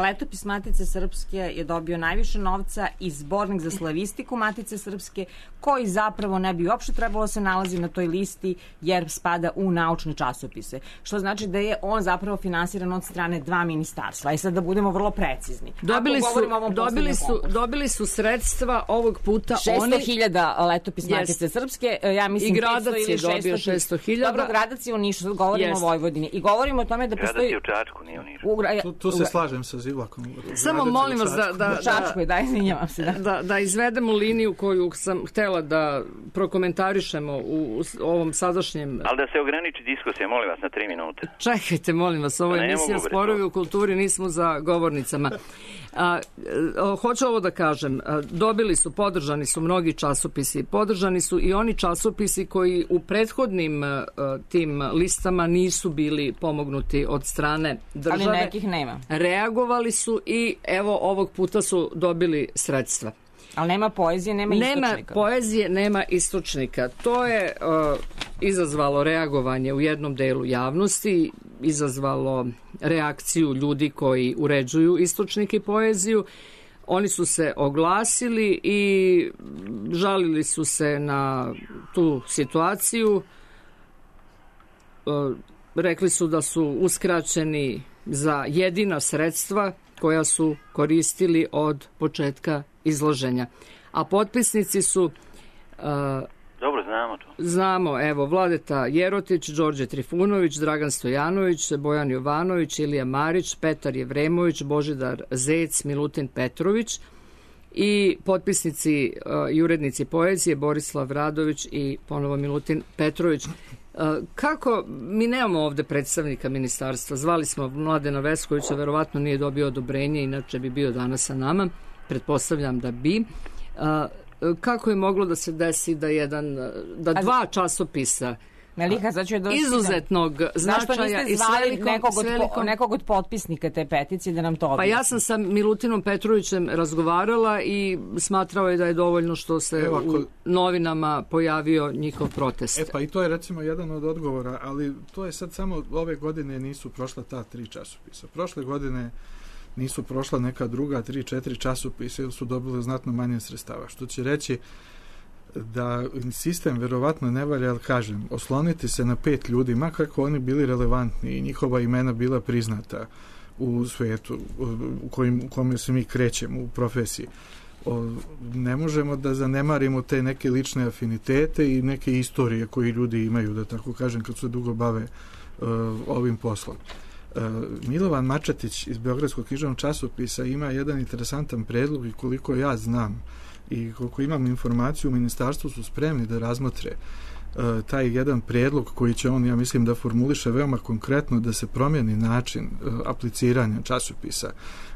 Letopis Matice Srpske je dobio najviše novca i zbornik za slavistiku Matice Srpske, koji zapravo ne bi uopšte trebalo se nalazi na toj listi jer spada u naučne časopise. Što znači da je on zapravo finansiran od strane 2 ministarstva. I sad da budemo vrlo precizni. Dobili su sredstva ovog puta 600.000 Letopis Matice Srpske. Ja mislim i Gradac je dobio 600.000. Dobro, Gradac je u Nišu, govorimo o Vojvodini. I govorimo o tome da postoji... Gradac je u Čačku, nije u Nišu. Tu se slažem sa Zivlakom. Samo molim vas da izvedemo liniju koju sam htela da prokomentarišemo u ovom sadašnjem... Ali da se ograniči diskusija, molim vas, na 3 minute. Čekajte, molim vas, ovo je emisija Sporovi u kulturi, nismo za govornicama. Hoću ovo da kažem, podržani su mnogi časopisi, podržani su i oni časopisi koji u prethodnim tim listama nisu bili pomognuti od strane države. Ali nekih nema. Reagovali su i evo ovog puta su dobili sredstva. Ali nema poezije, nema istočnika. Nema poezije, nema istočnika. To je izazvalo reagovanje u jednom delu javnosti, izazvalo reakciju ljudi koji uređuju istočnike i poeziju. Oni su se oglasili i žalili su se na tu situaciju. Rekli su da su uskraćeni za jedina sredstva koja su koristili od početka izloženja. A potpisnici su... Dobro, znamo to. Znamo, evo, Vladeta Jerotić, Đorđe Trifunović, Dragan Stojanović, Bojan Jovanović, Ilija Marić, Petar Jevremović, Božidar Zec, Milutin Petrović i potpisnici i urednici poezije Borislav Radović i ponovo Milutin Petrović. Kako, mi nemamo ovde predstavnika ministarstva, zvali smo Mladena Veskovića, verovatno nije dobio odobrenje, inače bi bio danas sa nama, pretpostavljam da bi. Kako je moglo da se desi da 2 časopisa izuzetnog značaja i nekog od potpisnika te peticije da nam to objasni? Pa ja sam sa Milutinom Petrovićem razgovarala i smatrao je da je dovoljno što se u novinama pojavio njihov protest. Pa i to je recimo jedan od odgovora, ali to je sad samo ove godine nisu prošla ta 3 časopisa. Prošle godine nisu prošla neka druga 3-4 časopisa ili su dobili znatno manje sredstava. Što će reći da sistem verovatno ne valja, ali kažem, osloniti se na 5 ljudi, makar kako oni bili relevantni i njihova imena bila priznata u svetu u kome se mi krećemo u profesiji. Ne možemo da zanemarimo te neke lične afinitete i neke istorije koje ljudi imaju, da tako kažem, kad se dugo bave ovim poslom. Milovan Mačatić iz Beogradskog književnog časopisa ima jedan interesantan predlog i koliko ja znam i koliko imam informaciju, u ministarstvu su spremni da razmotre taj jedan prijedlog koji će on, ja mislim, da formuliše veoma konkretno, da se promijeni način apliciranja časopisa,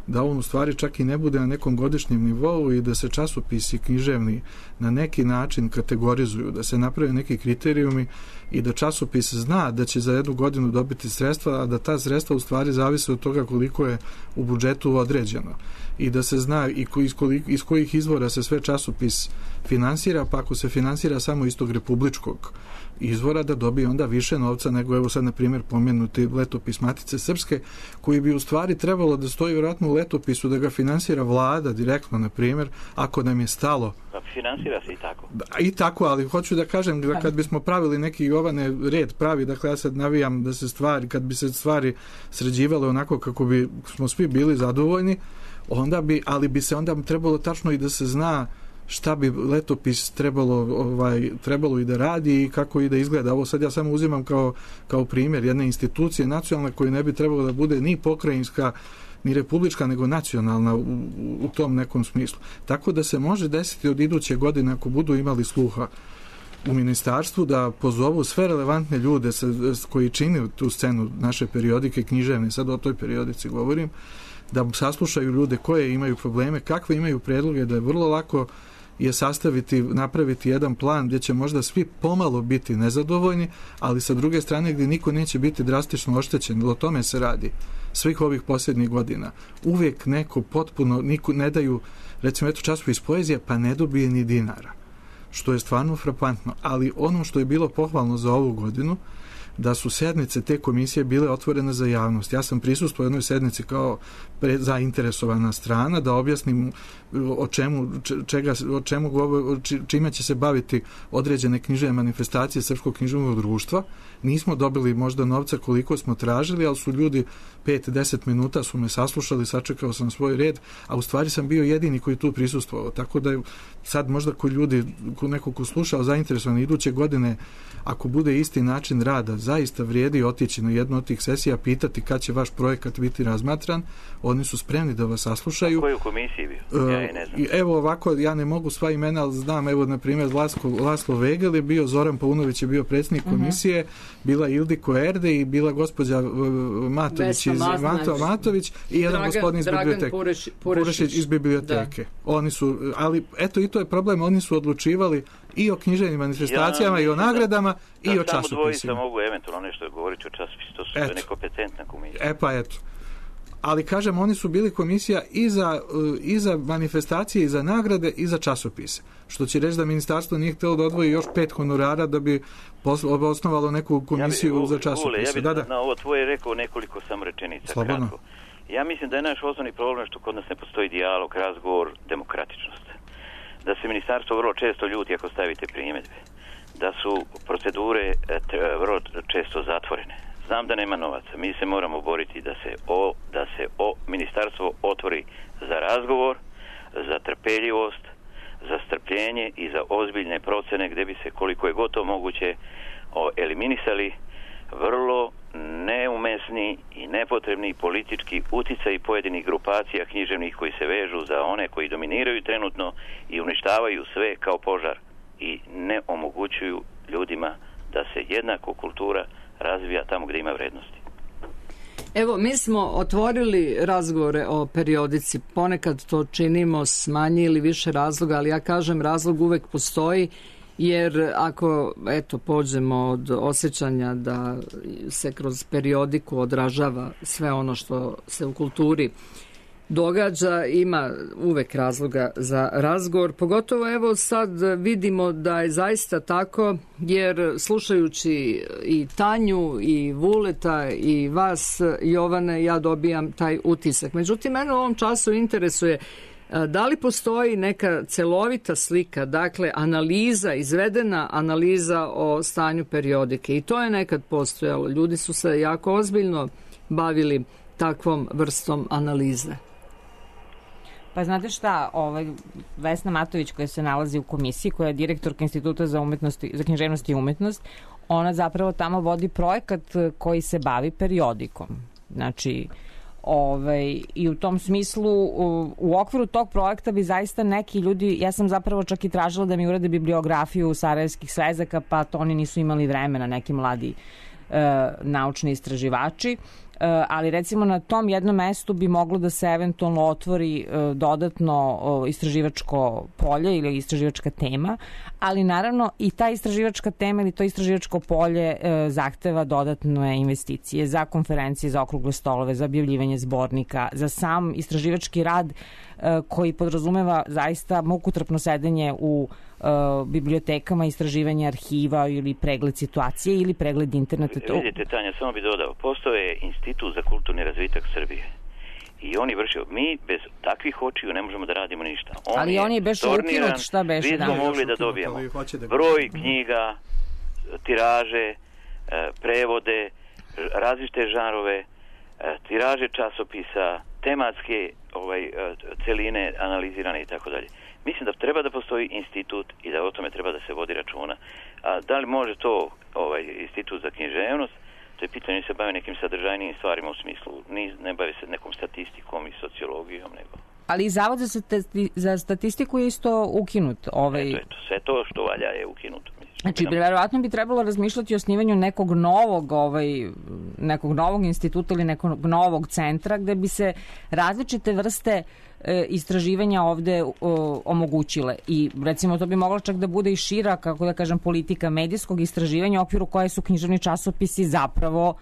da on u stvari čak i ne bude na nekom godišnjem nivou i da se časopisi književni na neki način kategorizuju, da se naprave neki kriterijumi i da časopis zna da će za jednu godinu dobiti sredstva, a da ta sredstva u stvari zavise od toga koliko je u budžetu određeno i da se zna i iz kojih izvora se sve časopis finansira, pa ako se finansira samo iz tog republičkog izvora, da dobije onda više novca nego evo sad na primjer pomenuti letopis Matice Srpske, koji bi u stvari trebalo da stoji vjerojatno u letopisu, da ga finansira vlada direktno, na primjer, ako nam je stalo. Pa finansira se i tako. I tako, ali hoću da kažem da kad bismo pravili neki Jovane red pravi, dakle ja sad navijam da se stvari, kad bi se stvari sređivale onako kako bi smo svi bili zadovoljni, ali bi se onda trebalo tačno i da se zna šta bi letopis trebalo i da radi i kako i da izgleda. Ovo sad ja samo uzimam kao primjer jedne institucije nacionalne koja ne bi trebalo da bude ni pokrajinska ni republička, nego nacionalna u tom nekom smislu. Tako da se može desiti od iduće godine, ako budu imali sluha u ministarstvu, da pozovu sve relevantne ljude koji čine tu scenu naše periodike književne, sad o toj periodici govorim, da saslušaju ljude koje imaju probleme, kakve imaju predloge, da je vrlo lako je napraviti jedan plan gdje će možda svi pomalo biti nezadovoljni, ali sa druge strane gdje niko neće biti drastično oštećen. O tome se radi svih ovih posljednjih godina. Uvijek neko potpuno, ne daju, recimo časopis Poezija, pa ne dobije ni dinara, što je stvarno frapantno. Ali ono što je bilo pohvalno za ovu godinu, da su sednice te komisije bile otvorene za javnost. Ja sam prisustvovao jednoj sednici kao zainteresovana strana da objasnim čime će se baviti određene književne manifestacije Srpskog književnog društva. Nismo dobili možda novca koliko smo tražili, ali su ljudi 5-10 minuta su me saslušali, sačekao sam svoj red, a u stvari sam bio jedini koji tu prisustvovao. Tako da sad možda neko ko slušao zainteresovan iduće godine, ako bude isti način rada, zaista vrijedi otići na jednu od tih sesija, pitati kad će vaš projekat biti razmatran. Oni su spremni da vas saslušaju. Koji u komisiji bio? Ja je ne znam. Evo ovako, ja ne mogu sva imena, ali znam, evo na primjer Laslo Vegel je bio, Zoran Paunović je bio predsjednik komisije, bila Ildiko Erde i bila gospođa Matović i jedan gospodin iz biblioteke. Purešić iz biblioteke. Oni su, ali eto i to je problem, oni su odlučivali i o književnim manifestacijama i o nagradama i o časopisima. Samo dvojica mogu eventualno nešto govoriti o časopisu, to su nekompetentna komisija. Pa eto. Ali kažem, oni su bili komisija i za manifestacije, i za nagrade, i za časopise. Što će reći da ministarstvo nije htjelo da odvoji još 5 honorara da bi osnovalo neku komisiju za časopise. Ja bih na ovo tvoje rekao nekoliko samo rečenica. Slobodno. Kratko. Ja mislim da je naš osnovni problem što kod nas ne postoji dijalog, razgovor, demokratičnost. Da se ministarstvo vrlo često ljuti ako stavite primjedbe. Da su procedure vrlo često zatvorene. Znam da nema novaca. Mi se moramo boriti da se ministarstvo otvori za razgovor, za trpeljivost, za strpljenje i za ozbiljne procene gdje bi se koliko je gotovo moguće eliminisali vrlo neumesni i nepotrebni politički uticaj pojedinih grupacija književnih koji se vežu za one koji dominiraju trenutno i uništavaju sve kao požar i ne omogućuju ljudima da se jednako kultura razvija tamo gdje ima vrednosti. Evo, mi smo otvorili razgovore o periodici. Ponekad to činimo s manje ili više razloga, ali ja kažem razlog uvek postoji, jer ako pođemo od osjećanja da se kroz periodiku odražava sve ono što se u kulturi događa, ima uvek razloga za razgovor. Pogotovo evo sad vidimo da je zaista tako, jer slušajući i Tanju i Vuleta i vas, Jovane, ja dobijam taj utisak. Međutim, mene u ovom času interesuje da li postoji neka celovita slika, dakle analiza, izvedena analiza o stanju periodike, i to je nekad postojalo. Ljudi su se jako ozbiljno bavili takvom vrstom analize. Pa znate šta, Vesna Matović koja se nalazi u komisiji, koja je direktorka Instituta za književnost i umetnost, ona zapravo tamo vodi projekat koji se bavi periodikom. Znači, I u tom smislu, u okviru tog projekta bi zaista neki ljudi, ja sam zapravo čak i tražila da mi urade bibliografiju sarajevskih svezaka, pa to oni nisu imali vremena, neki mladi naučni istraživači, ali recimo na tom jednom mestu bi moglo da se eventualno otvori dodatno istraživačko polje ili istraživačka tema, ali naravno i ta istraživačka tema ili to istraživačko polje zahteva dodatne investicije za konferencije, za okrugle stolove, za objavljivanje zbornika, za sam istraživački rad koji podrazumeva zaista mukotrpno sedenje u bibliotekama, istraživanje arhiva ili pregled situacije ili pregled interneta. Vidite, Tanja, samo bi dodao, postoje Institut za kulturni razvitak Srbije i oni vršio, mi bez takvih očiju ne možemo da radimo ništa. Ali on je beše ukinut, šta beše? Vi smo mogli da dobijemo broj knjiga, tiraže, prevode, različite žanrove, tiraže časopisa, tematske celine analizirane i tako dalje. Mislim da treba da postoji institut i da o tome treba da se vodi računa. A da li može to institut za književnost? To je pitanje, se bave nekim sadržajnim stvarima u smislu, ne bave se nekom statistikom i sociologijom, nego... Ali i Zavod za statistiku je isto ukinut. Eto, sve to što valja je ukinuto. Znači, verovatno bi trebalo razmišljati o osnivanju nekog novog instituta ili nekog novog centra gde bi se različite vrste istraživanja ovde omogućile. I recimo to bi moglo čak da bude i šira, kako da kažem, politika medijskog istraživanja u okviru koje su književni časopisi zapravo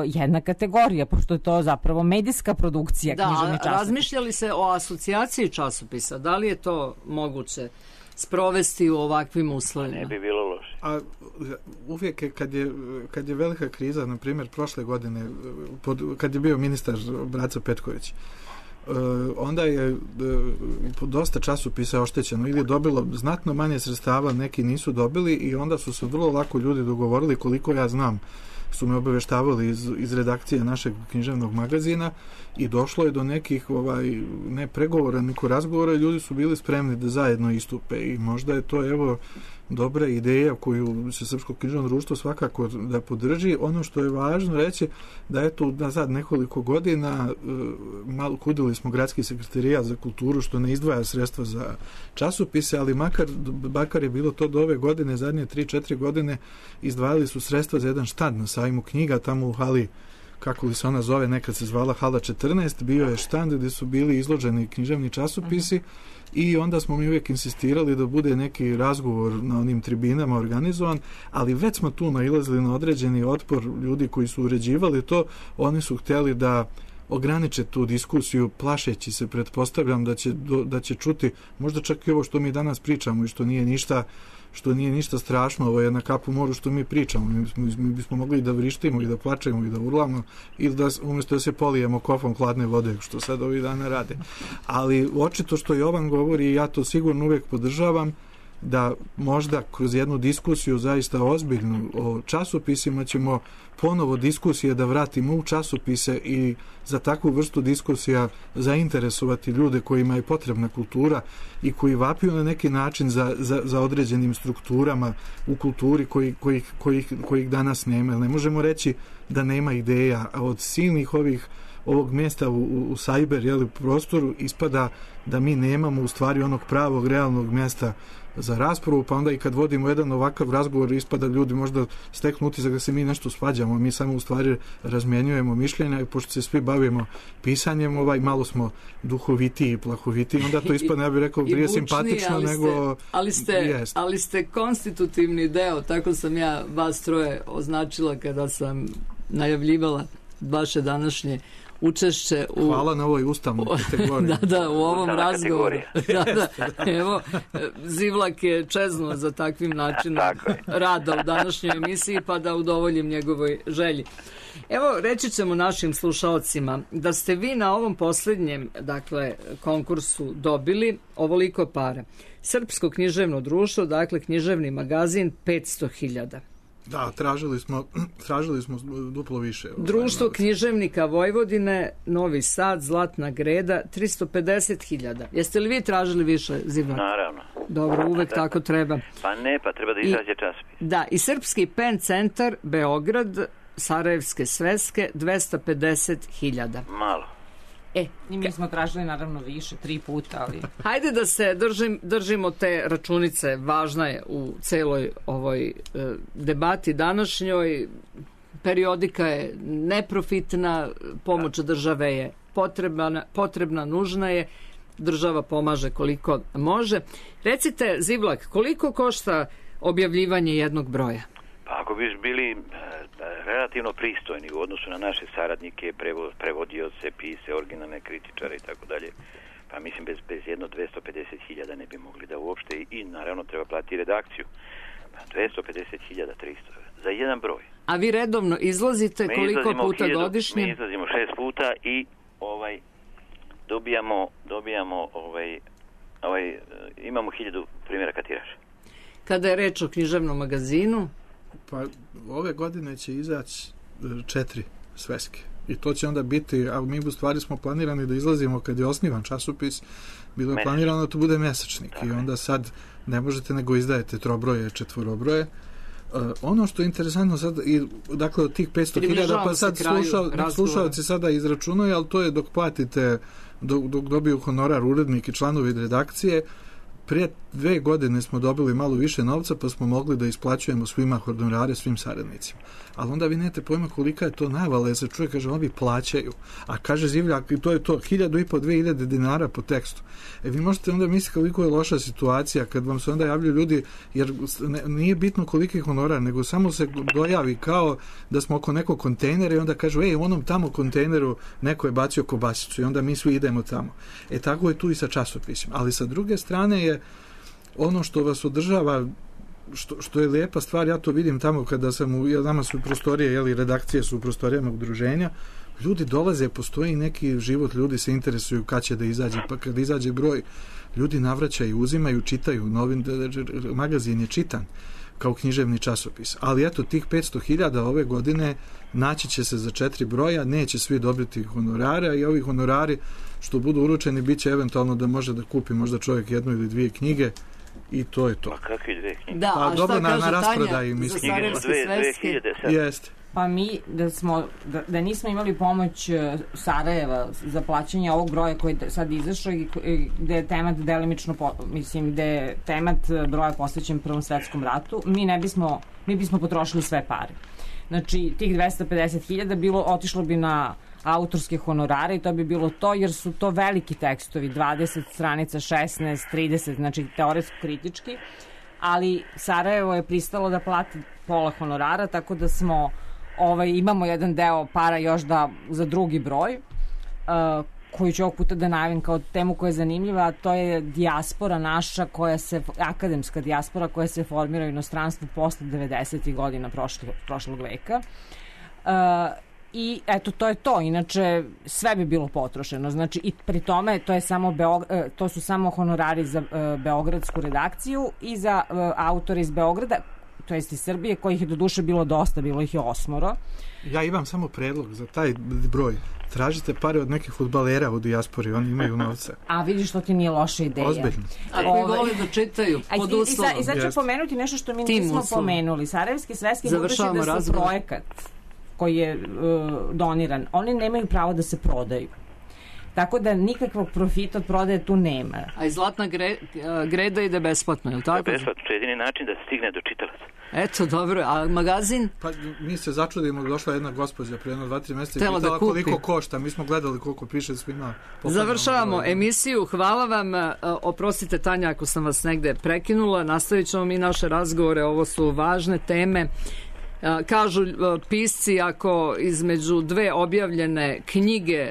jedna kategorija, pošto je to zapravo medijska produkcija književni časopis. Da, razmišljali se o asocijaciji časopisa, da li je to moguće sprovesti u ovakvim uslovima? Ne bi bilo loše. A uvijek je, kad je velika kriza, na primjer prošle godine, kad je bio ministar Braco Petković, onda je dosta časopisa oštećeno ili je dobilo znatno manje sredstava, neki nisu dobili i onda su se vrlo lako ljudi dogovorili, koliko ja znam, su me obaveštavali iz redakcije našeg književnog magazina i došlo je do nekih ne pregovora, nego razgovora i ljudi su bili spremni da zajedno istupe i možda je to dobra ideja koju se Srpsko književno društvo svakako da podrži. Ono što je važno reći da eto nazad nekoliko godina malo kudili smo gradski sekretarijat za kulturu što ne izdvaja sredstva za časopise, ali makar je bilo to do ove godine, zadnje 3-4 godine izdvajali su sredstva za jedan štand na sajmu knjiga tamo u hali, kako li se ona zove, nekad se zvala Hala 14, bio je štand gdje su bili izloženi književni časopisi i onda smo mi uvijek insistirali da bude neki razgovor na onim tribinama organizovan, ali već smo tu nailazili na određeni otpor ljudi koji su uređivali to, oni su htjeli da ograniče tu diskusiju, plašeći se, pretpostavljam da će čuti možda čak i ovo što mi danas pričamo i što nije ništa strašno, ovo je na kapu moru što mi pričamo. Mi bismo mogli da vrištimo i da plačemo i da urlamo ili da umjesto da se polijemo kofom hladne vode, što sad ovih dana rade. Ali očito što Jovan govori i ja to sigurno uvijek podržavam, da možda kroz jednu diskusiju zaista ozbiljnu o časopisima ćemo ponovo diskusije da vratimo u časopise i za takvu vrstu diskusija zainteresovati ljude kojima je potrebna kultura i koji vapiju na neki način za određenim strukturama u kulturi kojih danas nema. Ne možemo reći da nema ideja, a od silnih ovog mjesta u cyber prostoru ispada da mi nemamo u stvari onog pravog realnog mjesta za raspravu, pa onda i kad vodimo jedan ovakav razgovor ispada ljudi možda steknu utisak da se mi nešto svađamo, mi samo u stvari razmjenjujemo mišljenja i pošto se svi bavimo pisanjem, malo smo duhovitiji i plahovitiji, onda to ispada, ja bih rekao, prije simpatično nego... Ali ste konstitutivni deo, tako sam ja vas troje označila kada sam najavljivala vaše današnje učešće u... Hvala na ovoj ustavnoj kategoriji. Da, u ovom razgovoru. Evo, Zivlak je čeznuo za takvim načinom rada u današnjoj emisiji, pa da udovoljim njegovoj želji. Evo, reći ćemo našim slušalcima da ste vi na ovom posljednjem, konkursu dobili ovoliko para. Srpsko književno društvo, književni magazin 500.000. Da, tražili smo duplo više. Društvo književnika Vojvodine, Novi Sad, Zlatna Greda, 350.000. Jeste li vi tražili više, Zivlak? Naravno. Dobro, uvek tako treba. Pa treba da izađe časopis. Da, i Srpski pen centar, Beograd, Sarajevske sveske, 250.000. Malo. I mi smo tražili naravno više, 3 puta, ali... Hajde da se držimo te računice, važna je u celoj ovoj debati današnjoj. Periodika je neprofitna, pomoć države je potrebna, nužna je, država pomaže koliko može. Recite, Zivlak, koliko košta objavljivanje jednog broja? Pa ako bi bili relativno pristojni u odnosu na naše saradnike, prevodioce, pise, originalne kritičare i tako dalje, pa mislim bez jedno 250.000 ne bi mogli da uopšte i naravno treba platiti redakciju. 250.000, 300 za jedan broj. A vi redovno izlazite koliko puta godišnje? Mi izlazimo 6 puta i dobijamo imamo 1000 primjeraka tiraža. Kada je reč o književnom magazinu? Pa ove godine će izaći 4 sveske. I to će onda biti, a mi u stvari smo planirani da izlazimo kad je osnivan časopis, bilo je planirano da to bude mesečnik. I onda sad ne možete nego izdajete trobroje, četvorobroje. Ono što je interesantno sad, dakle od tih 500.000, pa sad slušalci sada izračunaju, ali to je dok platite, dok dobiju honorar urednik i članovi redakcije. Prije 2 godine smo dobili malo više novca, pa smo mogli da isplaćujemo svima honorare, svim saradnicima. Ali onda vi nemate pojma kolika je to navala, jer se čuje, kaže, oni plaćaju. A kaže Zivljak, to je to, 1.500-2.000 dinara po tekstu. Vi možete onda misliti koliko je loša situacija kad vam se onda javljaju ljudi, jer nije bitno koliki je honorar, nego samo se dojavi kao da smo oko nekog kontejnera i onda kažu, u onom tamo kontejneru neko je bacio kobasicu i onda mi svi idemo tamo. Tako je tu i sa časopisima. Ali sa druge strane je ono što vas održava, što je lijepa stvar, ja to vidim tamo kada sam nama su prostorije, redakcije su u prostorijama udruženja, ljudi dolaze, postoji neki život, ljudi se interesuju kad će da izađe, pa kad izađe broj, ljudi navraćaju, uzimaju, čitaju, magazin je čitan kao književni časopis. Ali eto, tih 500.000 ove godine naći će se za 4 broja, neće svi dobiti honorare, i ovi honorari što budu uručeni bit će eventualno da može da kupi možda čovjek 1 ili 2 knjige i to je to. Pa kakve 2 knjige? Da, a šta kaže Tanja za Sarajevske sveske? Jeste. Pa mi da nismo imali pomoć Sarajeva za plaćanje ovog broja koji je sad izašao i gde je temat delimično, gde je temat broja posvećen Prvom svetskom ratu, mi bismo potrošili sve pare. Znači, tih 250.000 otišlo bi na autorske honorare i to bi bilo to, jer su to veliki tekstovi, 20 stranica, 16, 30, znači teoretsko-kritički, ali Sarajevo je pristalo da plati pola honorara, tako da smo imamo jedan deo para još za drugi broj, koju ću ovog puta da najavim kao temu koja je zanimljiva, a to je dijaspora naša, akademska dijaspora koja se formira u inostranstvu posle 90. godina prošlog veka. I eto, to je to. Inače, sve bi bilo potrošeno. Znači, i pri tome to su samo honorari za beogradsku redakciju i za autore iz Beograda, to jest iz Srbije, kojih je do duše bilo dosta, bilo ih je 8. Ja imam samo predlog za taj broj. Tražite pare od nekih fudbalera u dijaspori, oni imaju novca. A vidiš, to ti nije loša ideja. Ozbiljno. A koji voli da čitaju pod uslovom. I sad ću pomenuti nešto što mi nismo pomenuli. Sarajevski sveski budući da su projekat koji je doniran, oni nemaju pravo da se prodaju. Tako da nikakvog profita od prodaje tu nema. A i Zlatna greda ide besplatno, je li tako? Besplatno, to je jedini način da se stigne do čitalaca. Eto, dobro, a magazin? Pa mi se začudimo, došla jedna gospođa prije 2-3 mjeseca i pitala koliko košta. Mi smo gledali koliko piše svima. Završavamo emisiju, hvala vam. Oprostite, Tanja, ako sam vas negde prekinula. Nastavit ćemo mi naše razgovore, ovo su važne teme. Kažu pisci, ako između 2 objavljene knjige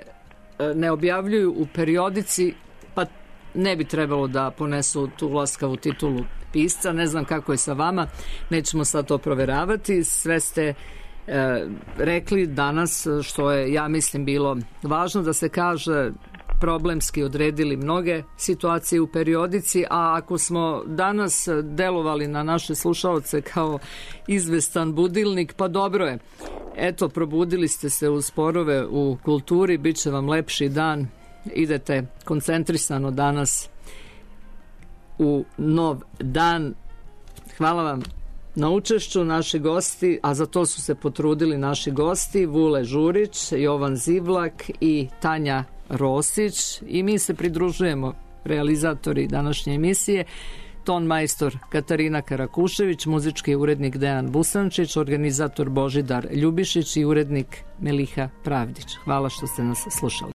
ne objavljuju u periodici, pa ne bi trebalo da ponesu tu laskavu titulu pisca. Ne znam kako je sa vama, nećemo sad to proveravati. Sve ste rekli danas, što je, ja mislim, bilo važno da se kaže, problemski odredili mnoge situacije u periodici, a ako smo danas delovali na naše slušaoce kao izvestan budilnik, pa dobro je. Eto, probudili ste se u sporove u kulturi, bit će vam lepši dan, idete koncentrisano danas u nov dan. Hvala vam na učešću naši gosti, a za to su se potrudili naši gosti, Vule Žurić, Jovan Zivlak i Tanja Rosić i mi se pridružujemo, realizatori današnje emisije, ton majstor Katarina Karakušević, muzički urednik Dejan Busančić, organizator Božidar Ljubišić i urednik Meliha Pravdić. Hvala što ste nas slušali.